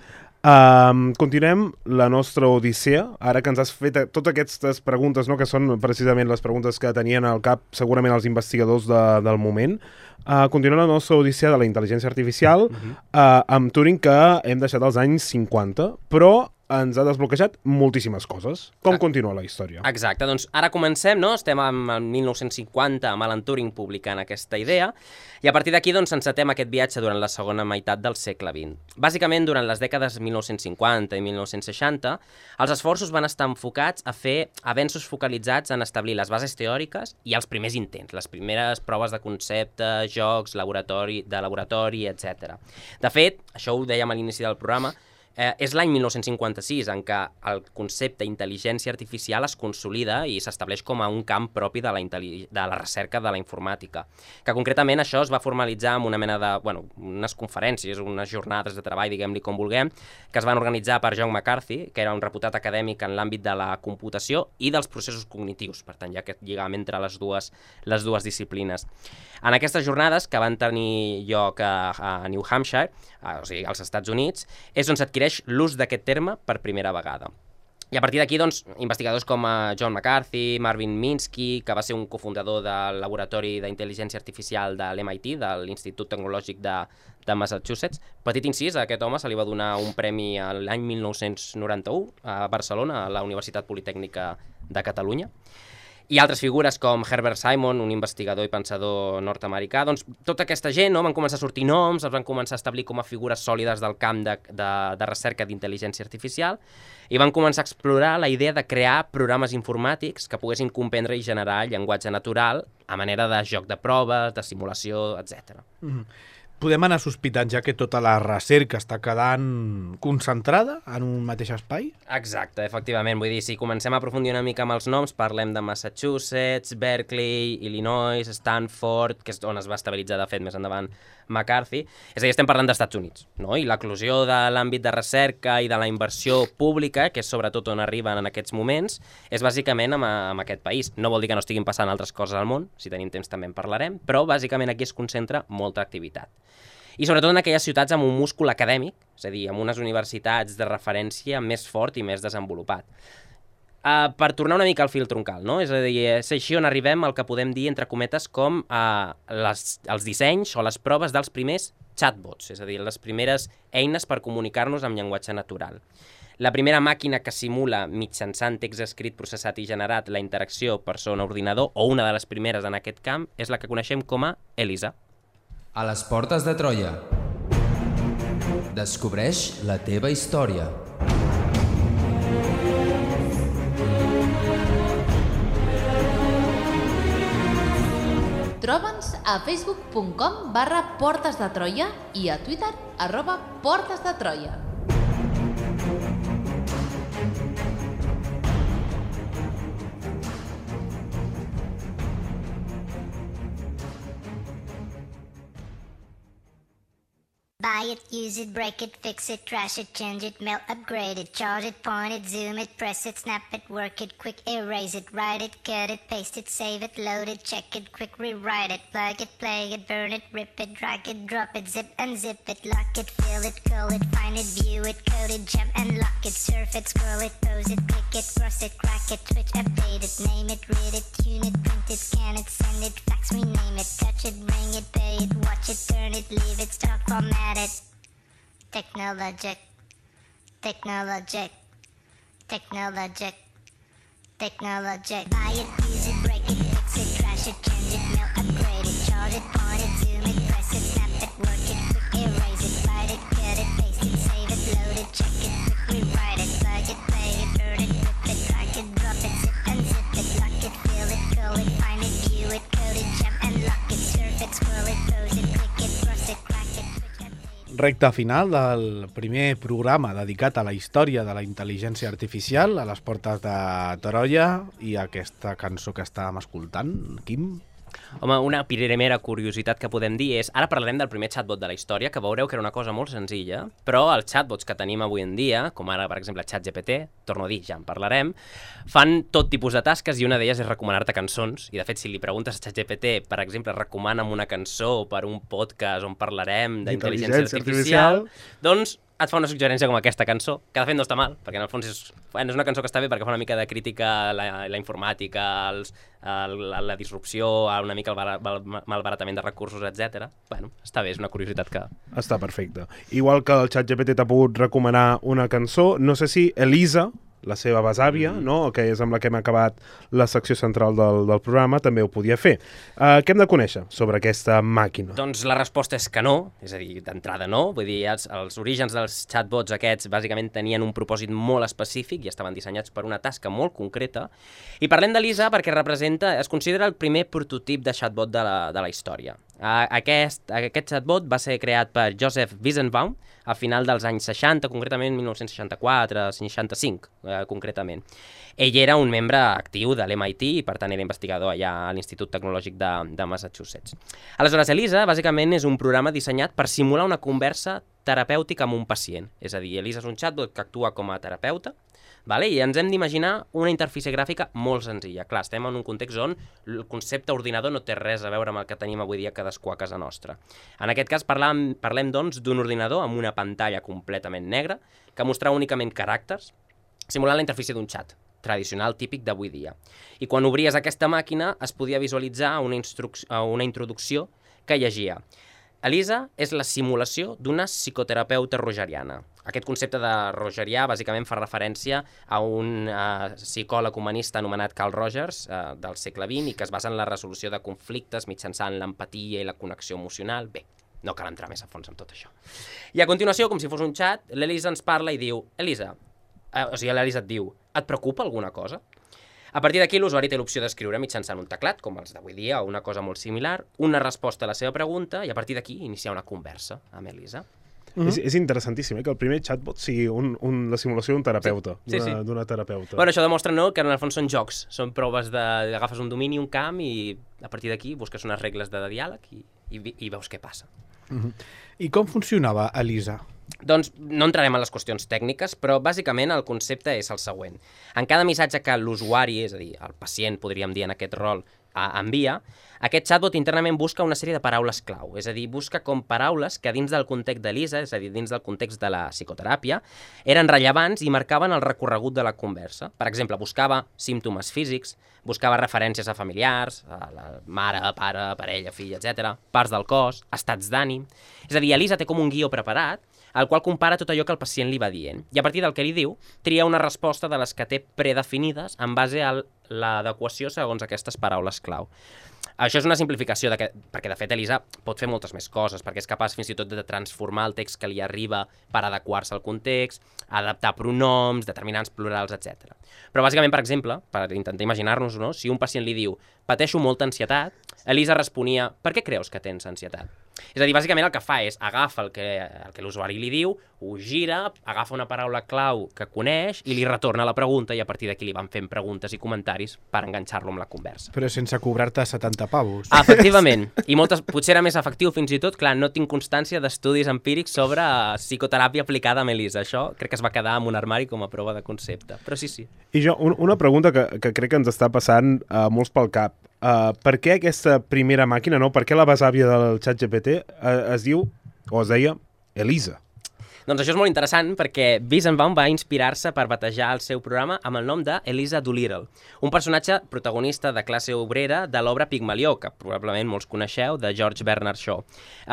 Um, continuem la nostra odissea, ara que ens has fet totes aquestes preguntes, no, que són precisament les preguntes que tenien al cap segurament els investigadors de, del moment. Uh, continuem la nostra odissea de la intel·ligència artificial uh-huh. uh, amb Turing, que hem deixat als anys cinquanta, però ens ha desbloquejat moltíssimes coses. Com continua la història? Exacte, doncs ara comencem, no? Estem en mil nou-cents cinquanta amb Alan Turing publicant aquesta idea i a partir d'aquí doncs encetem aquest viatge durant la segona meitat del segle vint. Bàsicament, durant les dècades mil nou-cents cinquanta i mil nou-cents seixanta, els esforços van estar enfocats a fer avenços focalitzats en establir les bases teòriques i els primers intents, les primeres proves de concepte, jocs, laboratori, de laboratori, etcètera. De fet, això ho dèiem a l'inici del programa, Eh, és l'any mil nou-cents cinquanta-sis en què el concepte intel·ligència artificial es consolida i s'estableix com a un camp propi de la, de la recerca de la informàtica. Que concretament això es va formalitzar amb una mena de, bueno, unes conferències, unes jornades de treball, diguem-li com vulguem, que es van organitzar per John McCarthy, que era un reputat acadèmic en l'àmbit de la computació i dels processos cognitius, per tant, hi ha aquest lligam entre les dues, les dues disciplines. En aquestes jornades, que van tenir lloc a, a New Hampshire, a, o sigui, als Estats Units, és on s'adquireix l'ús d'aquest terme per primera vegada. I a partir d'aquí, doncs, investigadors com John McCarthy, Marvin Minsky, que va ser un cofundador del Laboratori d'Intel·ligència Artificial de l'M I T, de l'Institut Tecnològic de, de Massachusetts. Petit incís, a aquest home se li va donar un premi l'any mil nou-cents noranta-u a Barcelona, a la Universitat Politècnica de Catalunya. I altres figures com Herbert Simon, un investigador i pensador nord-americà, doncs tota aquesta gent, no, van començar a sortir noms, els van començar a establir com a figures sòlides del camp de, de, de recerca d'intel·ligència artificial i van començar a explorar la idea de crear programes informàtics que poguessin comprendre i generar llenguatge natural a manera de joc de proves, de simulació, etcètera. Mm-hmm. Podem anar sospitant ja que tota la recerca està quedant concentrada en un mateix espai? Exacte, efectivament. Vull dir, si comencem a aprofundir una mica amb els noms, parlem de Massachusetts, Berkeley, Illinois, Stanford, que és on es va estabilitzar, de fet, més endavant, McCarthy. És a dir, estem parlant d'Estats Units, no? I l'eclosió de l'àmbit de recerca i de la inversió pública, que és sobretot on arriben en aquests moments, és bàsicament amb, amb aquest país. No vol dir que no estiguin passant altres coses al món, si tenim temps també en parlarem, però bàsicament aquí es concentra molta activitat. I sobretot en aquelles ciutats amb un múscul acadèmic, és a dir, amb unes universitats de referència més fort i més desenvolupat. Uh, per tornar una mica al fil troncal, no? És a dir, és així on arribem al que podem dir, entre cometes, com uh, les, els dissenys o les proves dels primers chatbots, és a dir, les primeres eines per comunicar-nos amb llenguatge natural. La primera màquina que simula mitjançant text escrit, processat i generat la interacció persona-ordinador, o una de les primeres en aquest camp, és la que coneixem com a ELISA. A les portes de Troia. Descobreix la teva història. Troba'ns a facebook punt com barra Portes de Troia i a Twitter arroba Portes de Troia. Buy it, use it, break it, fix it, trash it, change it, melt, upgrade it, charge it, point it, zoom it, press it, snap it, work it, quick erase it, write it, cut it, paste it, save it, load it, check it, quick rewrite it, plug it, play it, burn it, rip it, drag it, drop it, zip unzip it, lock it, fill it, call it, find it, view it, code it, jump and lock it, surf it, scroll it, pose it, click it, cross it, crack it, switch, update it, name it, read it, tune it, print it, scan it, send it, fax, rename it, touch it, bring it, pay it, watch it, turn it, leave it, start, format it. Technologic, technologic, technologic, technology. Buy it, use it, break it, fix it, trash it, change it, melt, upgrade it, charge it, point it, zoom it, press it, snap it, work it, quick erase it, write it, cut it, paste it, save it, load it, check it, quick rewrite it, plug it, play it, burn it, rip it, drag it, drop it, zip and zip it, lock it, fill it, curl it, find it, view it, code it, jump and lock it, surf it, scroll it, pose it, click it, cross it, crack it, switch and Recta final del primer programa dedicat a la història de la intel·ligència artificial a les portes de Troia i aquesta cançó que estàvem escoltant, Quim? Home, una primera curiositat que podem dir és, ara parlarem del primer chatbot de la història, que veureu que era una cosa molt senzilla, però els chatbots que tenim avui en dia, com ara, per exemple, ChatGPT, torno a dir, ja en parlarem, fan tot tipus de tasques i una d'elles és recomanar-te cançons, i de fet, si li preguntes a ChatGPT, per exemple, recomana'm una cançó per un podcast on parlarem d'intel·ligència artificial, doncs et fa una suggerència com aquesta cançó, que de fet no està mal, perquè en el fons és, bueno, és una cançó que està bé perquè fa una mica de crítica a la, a la informàtica, als, a la, la disrupció, a una mica el bar, bar, malbaratament de recursos, etcètera. Bueno, està bé, és una curiositat que... Està perfecte. Igual que el ChatGPT t'ha pogut recomanar una cançó, no sé si Elisa, la seva besàvia, mm. no? que és amb la que hem acabat la secció central del, del programa, també ho podia fer. Uh, què hem de conèixer sobre aquesta màquina? Doncs la resposta és que no, és a dir, d'entrada no. Vull dir, els, els orígens dels chatbots aquests bàsicament tenien un propòsit molt específic i estaven dissenyats per una tasca molt concreta. I parlem d'Elisa perquè representa, es considera el primer prototip de chatbot de la, de la història. Aquest, aquest chatbot va ser creat per Joseph Weizenbaum a final dels anys seixanta, concretament mil nou-cents seixanta-quatre, seixanta-cinc, eh, concretament. Ell era un membre actiu de l'M I T i, per tant, era investigador allà a l'Institut Tecnològic de, de Massachusetts. Aleshores, Elisa, bàsicament, és un programa dissenyat per simular una conversa terapèutica amb un pacient. És a dir, Elisa és un chatbot que actua com a terapeuta, vale? I ens hem d'imaginar una interfície gràfica molt senzilla. Clar, estem en un context on el concepte ordinador no té res a veure amb el que tenim avui dia cadascú a casa nostra. En aquest cas parlem, parlem doncs, d'un ordinador amb una pantalla completament negra que mostrava únicament caràcters, simulant la interfície d'un xat tradicional típic d'avui dia. I quan obries aquesta màquina es podia visualitzar una, una introducció que llegia: Elisa és la simulació d'una psicoterapeuta rogeriana. Aquest concepte de rogerià bàsicament fa referència a un uh, psicòleg humanista anomenat Carl Rogers uh, del segle vint i que es basa en la resolució de conflictes mitjançant l'empatia i la connexió emocional. Bé, no cal entrar més a fons en tot això. I a continuació, com si fos un xat, l'Elisa ens parla i diu: Elisa, uh, o sigui, l'Elisa et diu, et preocupa alguna cosa? A partir d'aquí, l'usuari té l'opció d'escriure mitjançant un teclat, com els d'avui dia, o una cosa molt similar, una resposta a la seva pregunta, i a partir d'aquí iniciar una conversa amb Elisa. Mm-hmm. és, és interessantíssim, eh, que el primer chatbot sigui un, un, la simulació d'un terapeuta, sí, sí, d'una sí. terapeuta. Bueno, això demostra, no?, que en el fons són jocs, són proves de... agafes un domini, un camp, i a partir d'aquí busques unes regles de diàleg i, i, i veus què passa. Mm-hmm. I com funcionava Elisa? Doncs no entrarem en les qüestions tècniques, però bàsicament el concepte és el següent. En cada missatge que l'usuari, és a dir, el pacient, podríem dir en aquest rol, envia, aquest chatbot internament busca una sèrie de paraules clau, és a dir, busca com paraules que dins del context d'Elisa, és a dir, dins del context de la psicoteràpia, eren rellevants i marcaven el recorregut de la conversa. Per exemple, buscava símptomes físics, buscava referències a familiars, a la mare, pare, parella, fill, etcètera, parts del cos, estats d'ànim. És a dir, Elisa té com un guió preparat, al qual compara tot allò que el pacient li va dient. I a partir del que li diu, tria una resposta de les que té predefinides en base a l'adequació segons aquestes paraules clau. Això és una simplificació, de que, perquè de fet Elisa pot fer moltes més coses, perquè és capaç fins i tot de transformar el text que li arriba per adequar-se al context, adaptar pronoms, determinants plurals, etcètera. Però bàsicament, per exemple, per intentar imaginar-nos, no? Si un pacient li diu «pateixo molta ansietat», Elisa responia «per què creus que tens ansietat?» És a dir, bàsicament el que fa és agafa el que, el que l'usuari li diu, ho gira, agafa una paraula clau que coneix i li retorna la pregunta i a partir d'aquí li van fent preguntes i comentaris per enganxar-lo amb la conversa. Però sense cobrar-te setanta pavos. Efectivament. I moltes, potser era més efectiu fins i tot, clar, no tinc constància d'estudis empírics sobre psicoteràpia aplicada amb Elisa. Això crec que es va quedar en un armari com a prova de concepte. Però sí, sí. I jo, un, una pregunta que, que crec que ens està passant uh, molts pel cap. Uh, per què aquesta primera màquina, no? Per què la besàvia del ChatGPT uh, es diu, o es deia, Elisa? Doncs això és molt interessant perquè Weizenbaum va inspirar-se per batejar el seu programa amb el nom d'Eliza Doolittle, un personatge protagonista de classe obrera de l'obra Pigmalió, que probablement molts coneixeu, de George Bernard Shaw.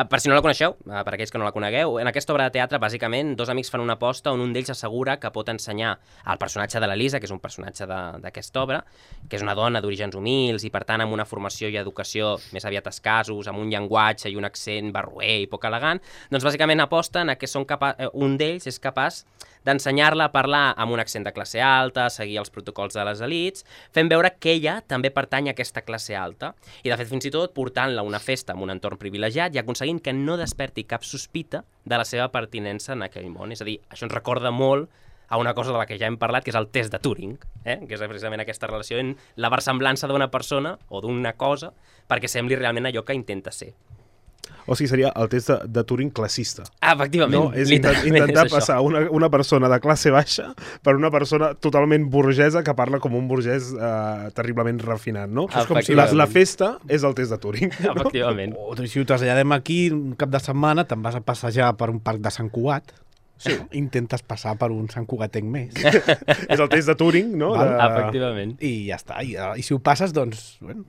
Per si no la coneixeu, per aquells que no la conegueu, en aquesta obra de teatre, bàsicament, dos amics fan una aposta on un d'ells assegura que pot ensenyar al personatge de l'Elisa, que és un personatge d'aquesta obra, que és una dona d'orígens humils i, per tant, amb una formació i educació més aviat escassos, amb un llenguatge i un accent barroer i poc elegant, doncs bàsicament aposten a que són capa... un d'ells és capaç d'ensenyar-la a parlar amb un accent de classe alta, seguir els protocols de les elits, fent veure que ella també pertany a aquesta classe alta, i de fet fins i tot portant-la a una festa en un entorn privilegiat i aconseguint que no desperti cap sospita de la seva pertinença en aquell món. És a dir, això ens recorda molt a una cosa de la que ja hem parlat, que és el test de Turing, eh? que és precisament aquesta relació en la versemblança d'una persona o d'una cosa perquè sembli realment allò que intenta ser. O sigui, seria el test de, de Turing classista. Ah, efectivament. No? És intent, intentar és passar una, una persona de classe baixa per una persona totalment burgesa que parla com un burgès eh, terriblement refinat, no? És com si la, la festa és el test de Turing. No? Efectivament. O si ho traslladem aquí, un cap de setmana te'n vas a passejar per un parc de Sant Cugat, sí. Intentes passar per un Sant Cugatenc més. És el test de Turing, no? De... Efectivament. I ja està. I, i si ho passes, doncs, bueno,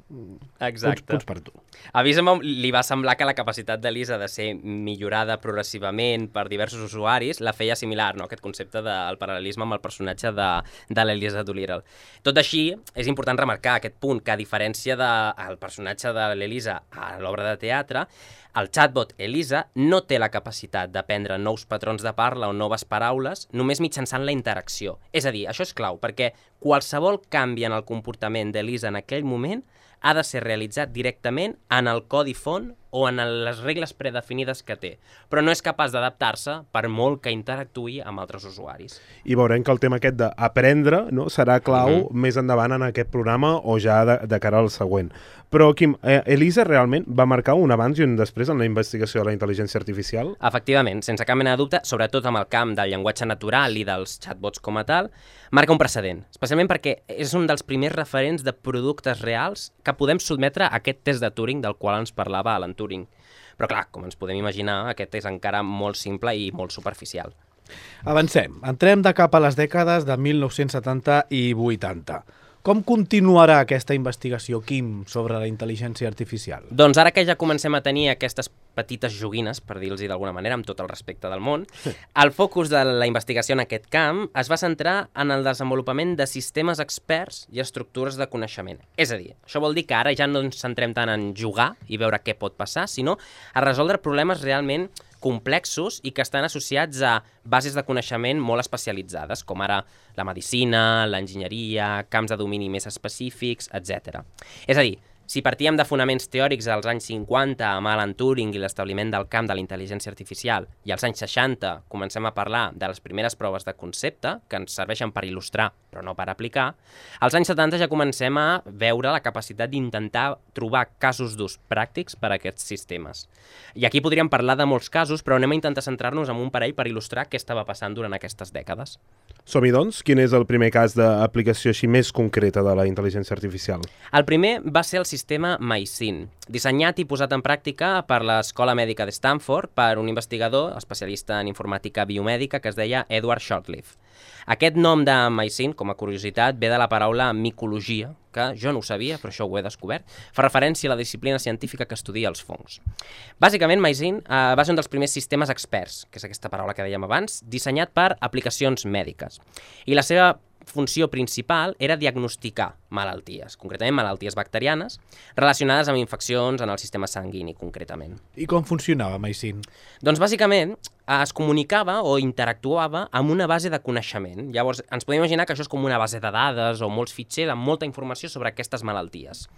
exacte. Punts, punts per tu. A Weizenbaum li va semblar que la capacitat d'Elisa de ser millorada progressivament per diversos usuaris la feia similar, no? Aquest concepte del paral·lelisme amb el personatge de, de l'Eliza Doolittle. Tot així, és important remarcar aquest punt, que a diferència del personatge de l'Elisa a l'obra de teatre, el chatbot Elisa no té la capacitat d'aprendre nous patrons de parla o noves paraules només mitjançant la interacció. És a dir, això és clau, perquè qualsevol canvi en el comportament d'Elisa en aquell moment ha de ser realitzat directament en el codi font o en les regles predefinides que té, però no és capaç d'adaptar-se per molt que interactuï amb altres usuaris. I veurem que el tema aquest d'aprendre, no, serà clau uh -huh. més endavant en aquest programa o ja de, de cara al següent. Però, Quim, eh, Elisa realment va marcar un abans i un després en la investigació de la intel·ligència artificial? Efectivament, sense cap mena de dubte, sobretot amb el camp del llenguatge natural i dels chatbots com a tal, marca un precedent, especialment perquè és un dels primers referents de productes reals que podem sotmetre a aquest test de Turing del qual ens parlava Alan Turing. Però clar, com ens podem imaginar, aquest és encara molt simple i molt superficial. Avancem. Entrem de cap a les dècades de mil nou-cents setanta i vuitanta. Com continuarà aquesta investigació, Quim, sobre la intel·ligència artificial? Doncs ara que ja comencem a tenir aquestes petites joguines, per dir-los d'alguna manera, amb tot el respecte del món, el focus de la investigació en aquest camp es va centrar en el desenvolupament de sistemes experts i estructures de coneixement. És a dir, això vol dir que ara ja no ens centrem tant en jugar i veure què pot passar, sinó a resoldre problemes realment complexos i que estan associats a bases de coneixement molt especialitzades, com ara la medicina, l'enginyeria, camps de domini més específics, etcètera. És a dir, si partíem de fonaments teòrics als anys cinquanta amb Alan Turing i l'establiment del camp de la intel·ligència artificial i als anys seixanta comencem a parlar de les primeres proves de concepte que ens serveixen per il·lustrar però no per aplicar, als anys setanta ja comencem a veure la capacitat d'intentar trobar casos d'ús pràctics per a aquests sistemes. I aquí podríem parlar de molts casos, però anem a intentar centrar-nos en un parell per il·lustrar què estava passant durant aquestes dècades. Som-hi, doncs? Quin és el primer cas d'aplicació així més concreta de la intel·ligència artificial? El primer va ser el sistema MySyn, dissenyat i posat en pràctica per l'Escola Mèdica de Stanford per un investigador especialista en informàtica biomèdica que es deia Edward Shortleaf. Aquest nom de MySyn, com a curiositat, ve de la paraula micologia, que jo no ho sabia, però això ho he descobert, fa referència a la disciplina científica que estudia els fongs. Bàsicament, MySyn eh, va ser un dels primers sistemes experts, que és aquesta paraula que dèiem abans, dissenyat per aplicacions mèdiques. I la seva funció principal era diagnosticar malalties, concretament malalties bacterianes, relacionades amb infeccions en el sistema sanguini, concretament. I com funcionava MySyn? Doncs bàsicament es comunicava o interactuava amb una base de coneixement. Llavors, ens podem imaginar que això és com una base de dades o molts fitxers amb molta informació sobre aquestes malalties.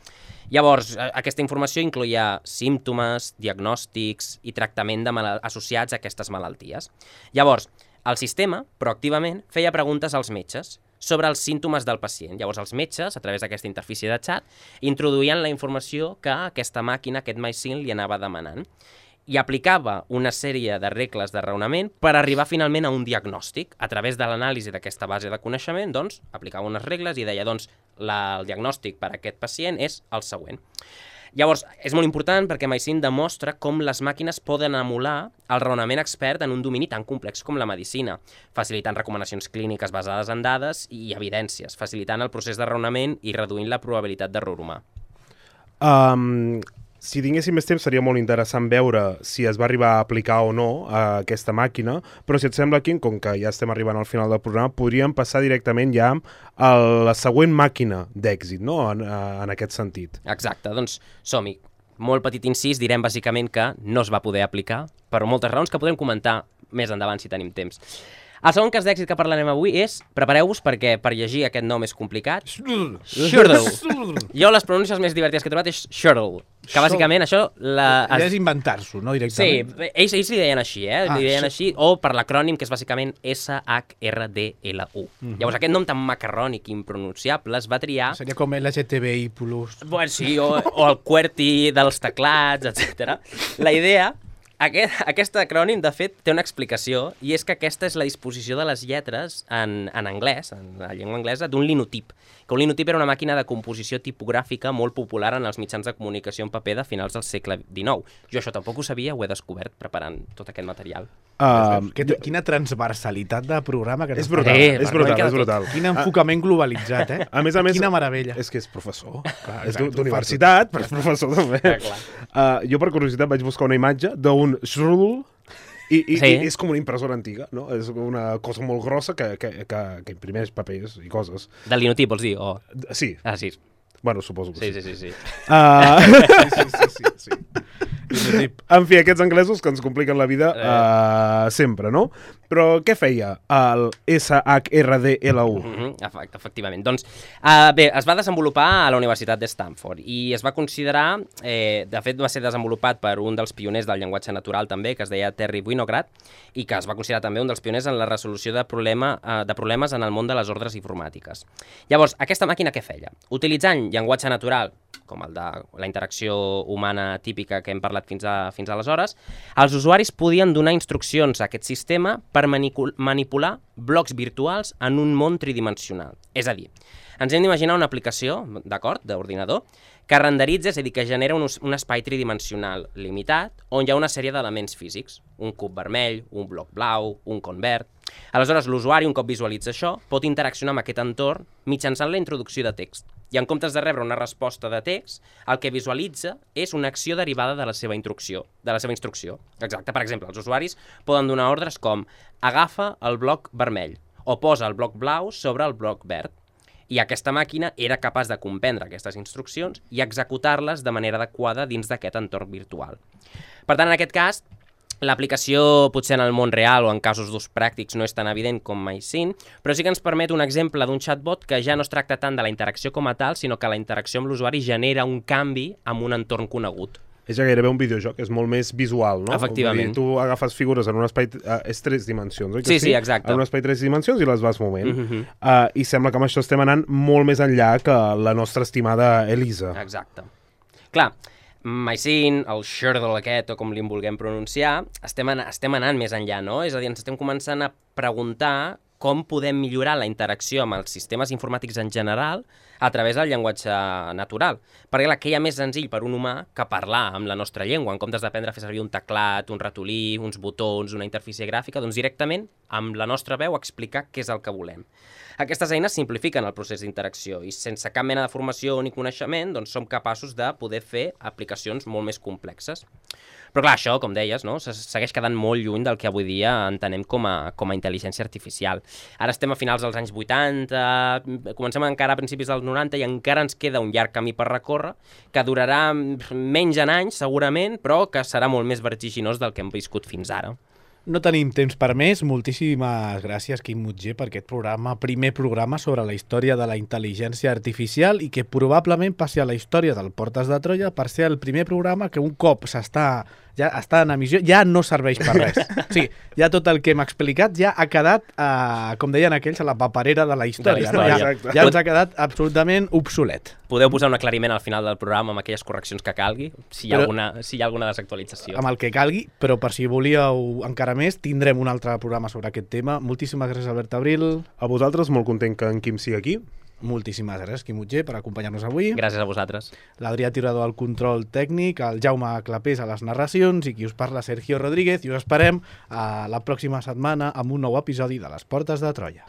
Llavors, aquesta informació incloïa símptomes, diagnòstics i tractament de mal- associats a aquestes malalties. Llavors, el sistema, proactivament, feia preguntes als metges sobre els símptomes del pacient. Llavors, els metges, a través d'aquesta interfície de xat, introduïen la informació que aquesta màquina, aquest MySyn, li anava demanant i aplicava una sèrie de regles de raonament per arribar finalment a un diagnòstic. A través de l'anàlisi d'aquesta base de coneixement, doncs, aplicava unes regles i deia, doncs, la, el diagnòstic per a aquest pacient és el següent. Llavors, és molt important perquè Maysin demostra com les màquines poden emular el raonament expert en un domini tan complex com la medicina, facilitant recomanacions clíniques basades en dades i evidències, facilitant el procés de raonament i reduint la probabilitat d'error humà. Um, si tinguéssim més temps seria molt interessant veure si es va arribar a aplicar o no a aquesta màquina, però si et sembla, Quim, com que ja estem arribant al final del programa, podríem passar directament ja a la següent màquina d'èxit, no?, en, en aquest sentit. Exacte, doncs som-hi. Molt petit incís, direm bàsicament que no es va poder aplicar per moltes raons que podem comentar més endavant si tenim temps. El segon cas d'èxit que parlarem avui és, prepareu-vos perquè per llegir aquest nom és complicat, Shurdle. Jo les pronúncies més divertides que he trobat és Shurdle, que bàsicament això... La... Ja és inventar-s'ho, no, directament? Sí, ells, ells li deien així, eh? Ah, li deien així, o per l'acrònim que és bàsicament S H R D L U. Mm-hmm. Llavors aquest nom tan macarrònic i impronunciable es va triar... Seria com L G T B I plus. Bueno, sí, o, o el QWERTY dels teclats, etcètera. La idea... Aquest, aquest acrònim, de fet, té una explicació, i és que aquesta és la disposició de les lletres en, en anglès, en la llengua anglesa, d'un linotip. Que un linotip era una màquina de composició tipogràfica molt popular en els mitjans de comunicació en paper de finals del segle dinou. Jo això tampoc ho sabia, ho he descobert preparant tot aquest material. Uh, que, quina transversalitat de programa que és brutal, eh, és brutal, és brutal. Quin enfocament globalitzat, eh? A més a més, quina meravella. És que és professor, clar, és d'universitat, però és professor també. Ja, clar. Uh, jo per curiositat vaig buscar una imatge d'un Shurdle i, i, sí. i és com una impressora antiga, no? És una cosa molt grossa que, que, que, que imprimeix papers i coses. Del linotip, vols dir? O... Sí. Ah, sí. Bueno, suposo que sí. Sí, sí, sí, sí. Uh... sí, sí, sí, sí, sí. En fi, aquests anglesos que ens compliquen la vida uh, sempre, no? Però què feia el S H R D L U? Mm-hmm, efectivament. Doncs, uh, bé, es va desenvolupar a la Universitat de Stanford i es va considerar, eh, de fet va ser desenvolupat per un dels pioners del llenguatge natural també, que es deia Terry Winograd, i que es va considerar també un dels pioners en la resolució de, problema, uh, de problemes en el món de les ordres informàtiques. Llavors, aquesta màquina què feia? Utilitzant llenguatge natural, com el de la interacció humana típica que hem parlat fins, a, fins aleshores, els usuaris podien donar instruccions a aquest sistema per manipular blocs virtuals en un món tridimensional. És a dir, ens hem d'imaginar una aplicació, d'acord, d'ordinador, que renderitza, és a dir, que genera un, un espai tridimensional limitat on hi ha una sèrie d'elements físics, un cub vermell, un bloc blau, un con verd. Aleshores, l'usuari, un cop visualitza això, pot interaccionar amb aquest entorn mitjançant la introducció de text. I en comptes de rebre una resposta de text, el que visualitza és una acció derivada de la seva instrucció. De la seva instrucció. Exacte. Per exemple, els usuaris poden donar ordres com agafa el bloc vermell o posa el bloc blau sobre el bloc verd. I aquesta màquina era capaç de comprendre aquestes instruccions i executar-les de manera adequada dins d'aquest entorn virtual. Per tant, en aquest cas, l'aplicació potser en el món real o en casos d'ús pràctics no és tan evident com Maysin, però sí que ens permet un exemple d'un chatbot que ja no es tracta tant de la interacció com a tal, sinó que la interacció amb l'usuari genera un canvi en un entorn conegut. És ja gairebé un videojoc, és molt més visual, no? Efectivament. Tu agafes figures en un espai... Uh, és tres dimensions, oi? Sí, sí, exacte. En un espai tres dimensions i les vas movent. Mm-hmm. uh, I sembla que amb això estem anant molt més enllà que la nostra estimada Elisa. Exacte. Clar, Maysin, el Shurdle aquest, o com li vulguem pronunciar, estem, an estem anant més enllà, no? És a dir, ens estem començant a preguntar com podem millorar la interacció amb els sistemes informàtics en general a través del llenguatge natural. Perquè clar, què hi ha més senzill per un humà que parlar amb la nostra llengua, en comptes d'aprendre a fer servir un teclat, un ratolí, uns botons, una interfície gràfica, doncs directament, amb la nostra veu, explicar què és el que volem. Aquestes eines simplifiquen el procés d'interacció i sense cap mena de formació ni coneixement doncs som capaços de poder fer aplicacions molt més complexes. Però clar, això, com deies, no? Segueix quedant molt lluny del que avui dia entenem com a, com a intel·ligència artificial. Ara estem a finals dels anys vuitanta, comencem encara a principis dels noranta i encara ens queda un llarg camí per recórrer que durarà menys en anys, segurament, però que serà molt més vertiginós del que hem viscut fins ara. No tenim temps per més. Moltíssimes gràcies, Quim Mutger, per aquest programa, primer programa sobre la història de la intel·ligència artificial i que probablement passi a la història del Portes de Troia per ser el primer programa que un cop s'està ja està en emissió, ja no serveix per res. O sigui, ja tot el que hem explicat ja ha quedat, eh, com deien aquells, a la paperera de la història. De la història. No? Ja, ja ens ha quedat absolutament obsolet. Podeu posar un aclariment al final del programa amb aquelles correccions que calgui, si hi ha, però, alguna, si hi ha alguna desactualització. Amb el que calgui, però per si volíeu encara més, tindrem un altre programa sobre aquest tema. Moltíssimes gràcies, Albert Abril. A vosaltres, molt content que en Quim sigui aquí. Moltíssimes gràcies, Quim Utger, per acompanyar-nos avui. Gràcies a vosaltres. L'Adrià Tirador al control tècnic, el Jaume Clapés a les narracions i qui us parla, Sergio Rodríguez, i us esperem a la pròxima setmana amb un nou episodi de Les Portes de Troia.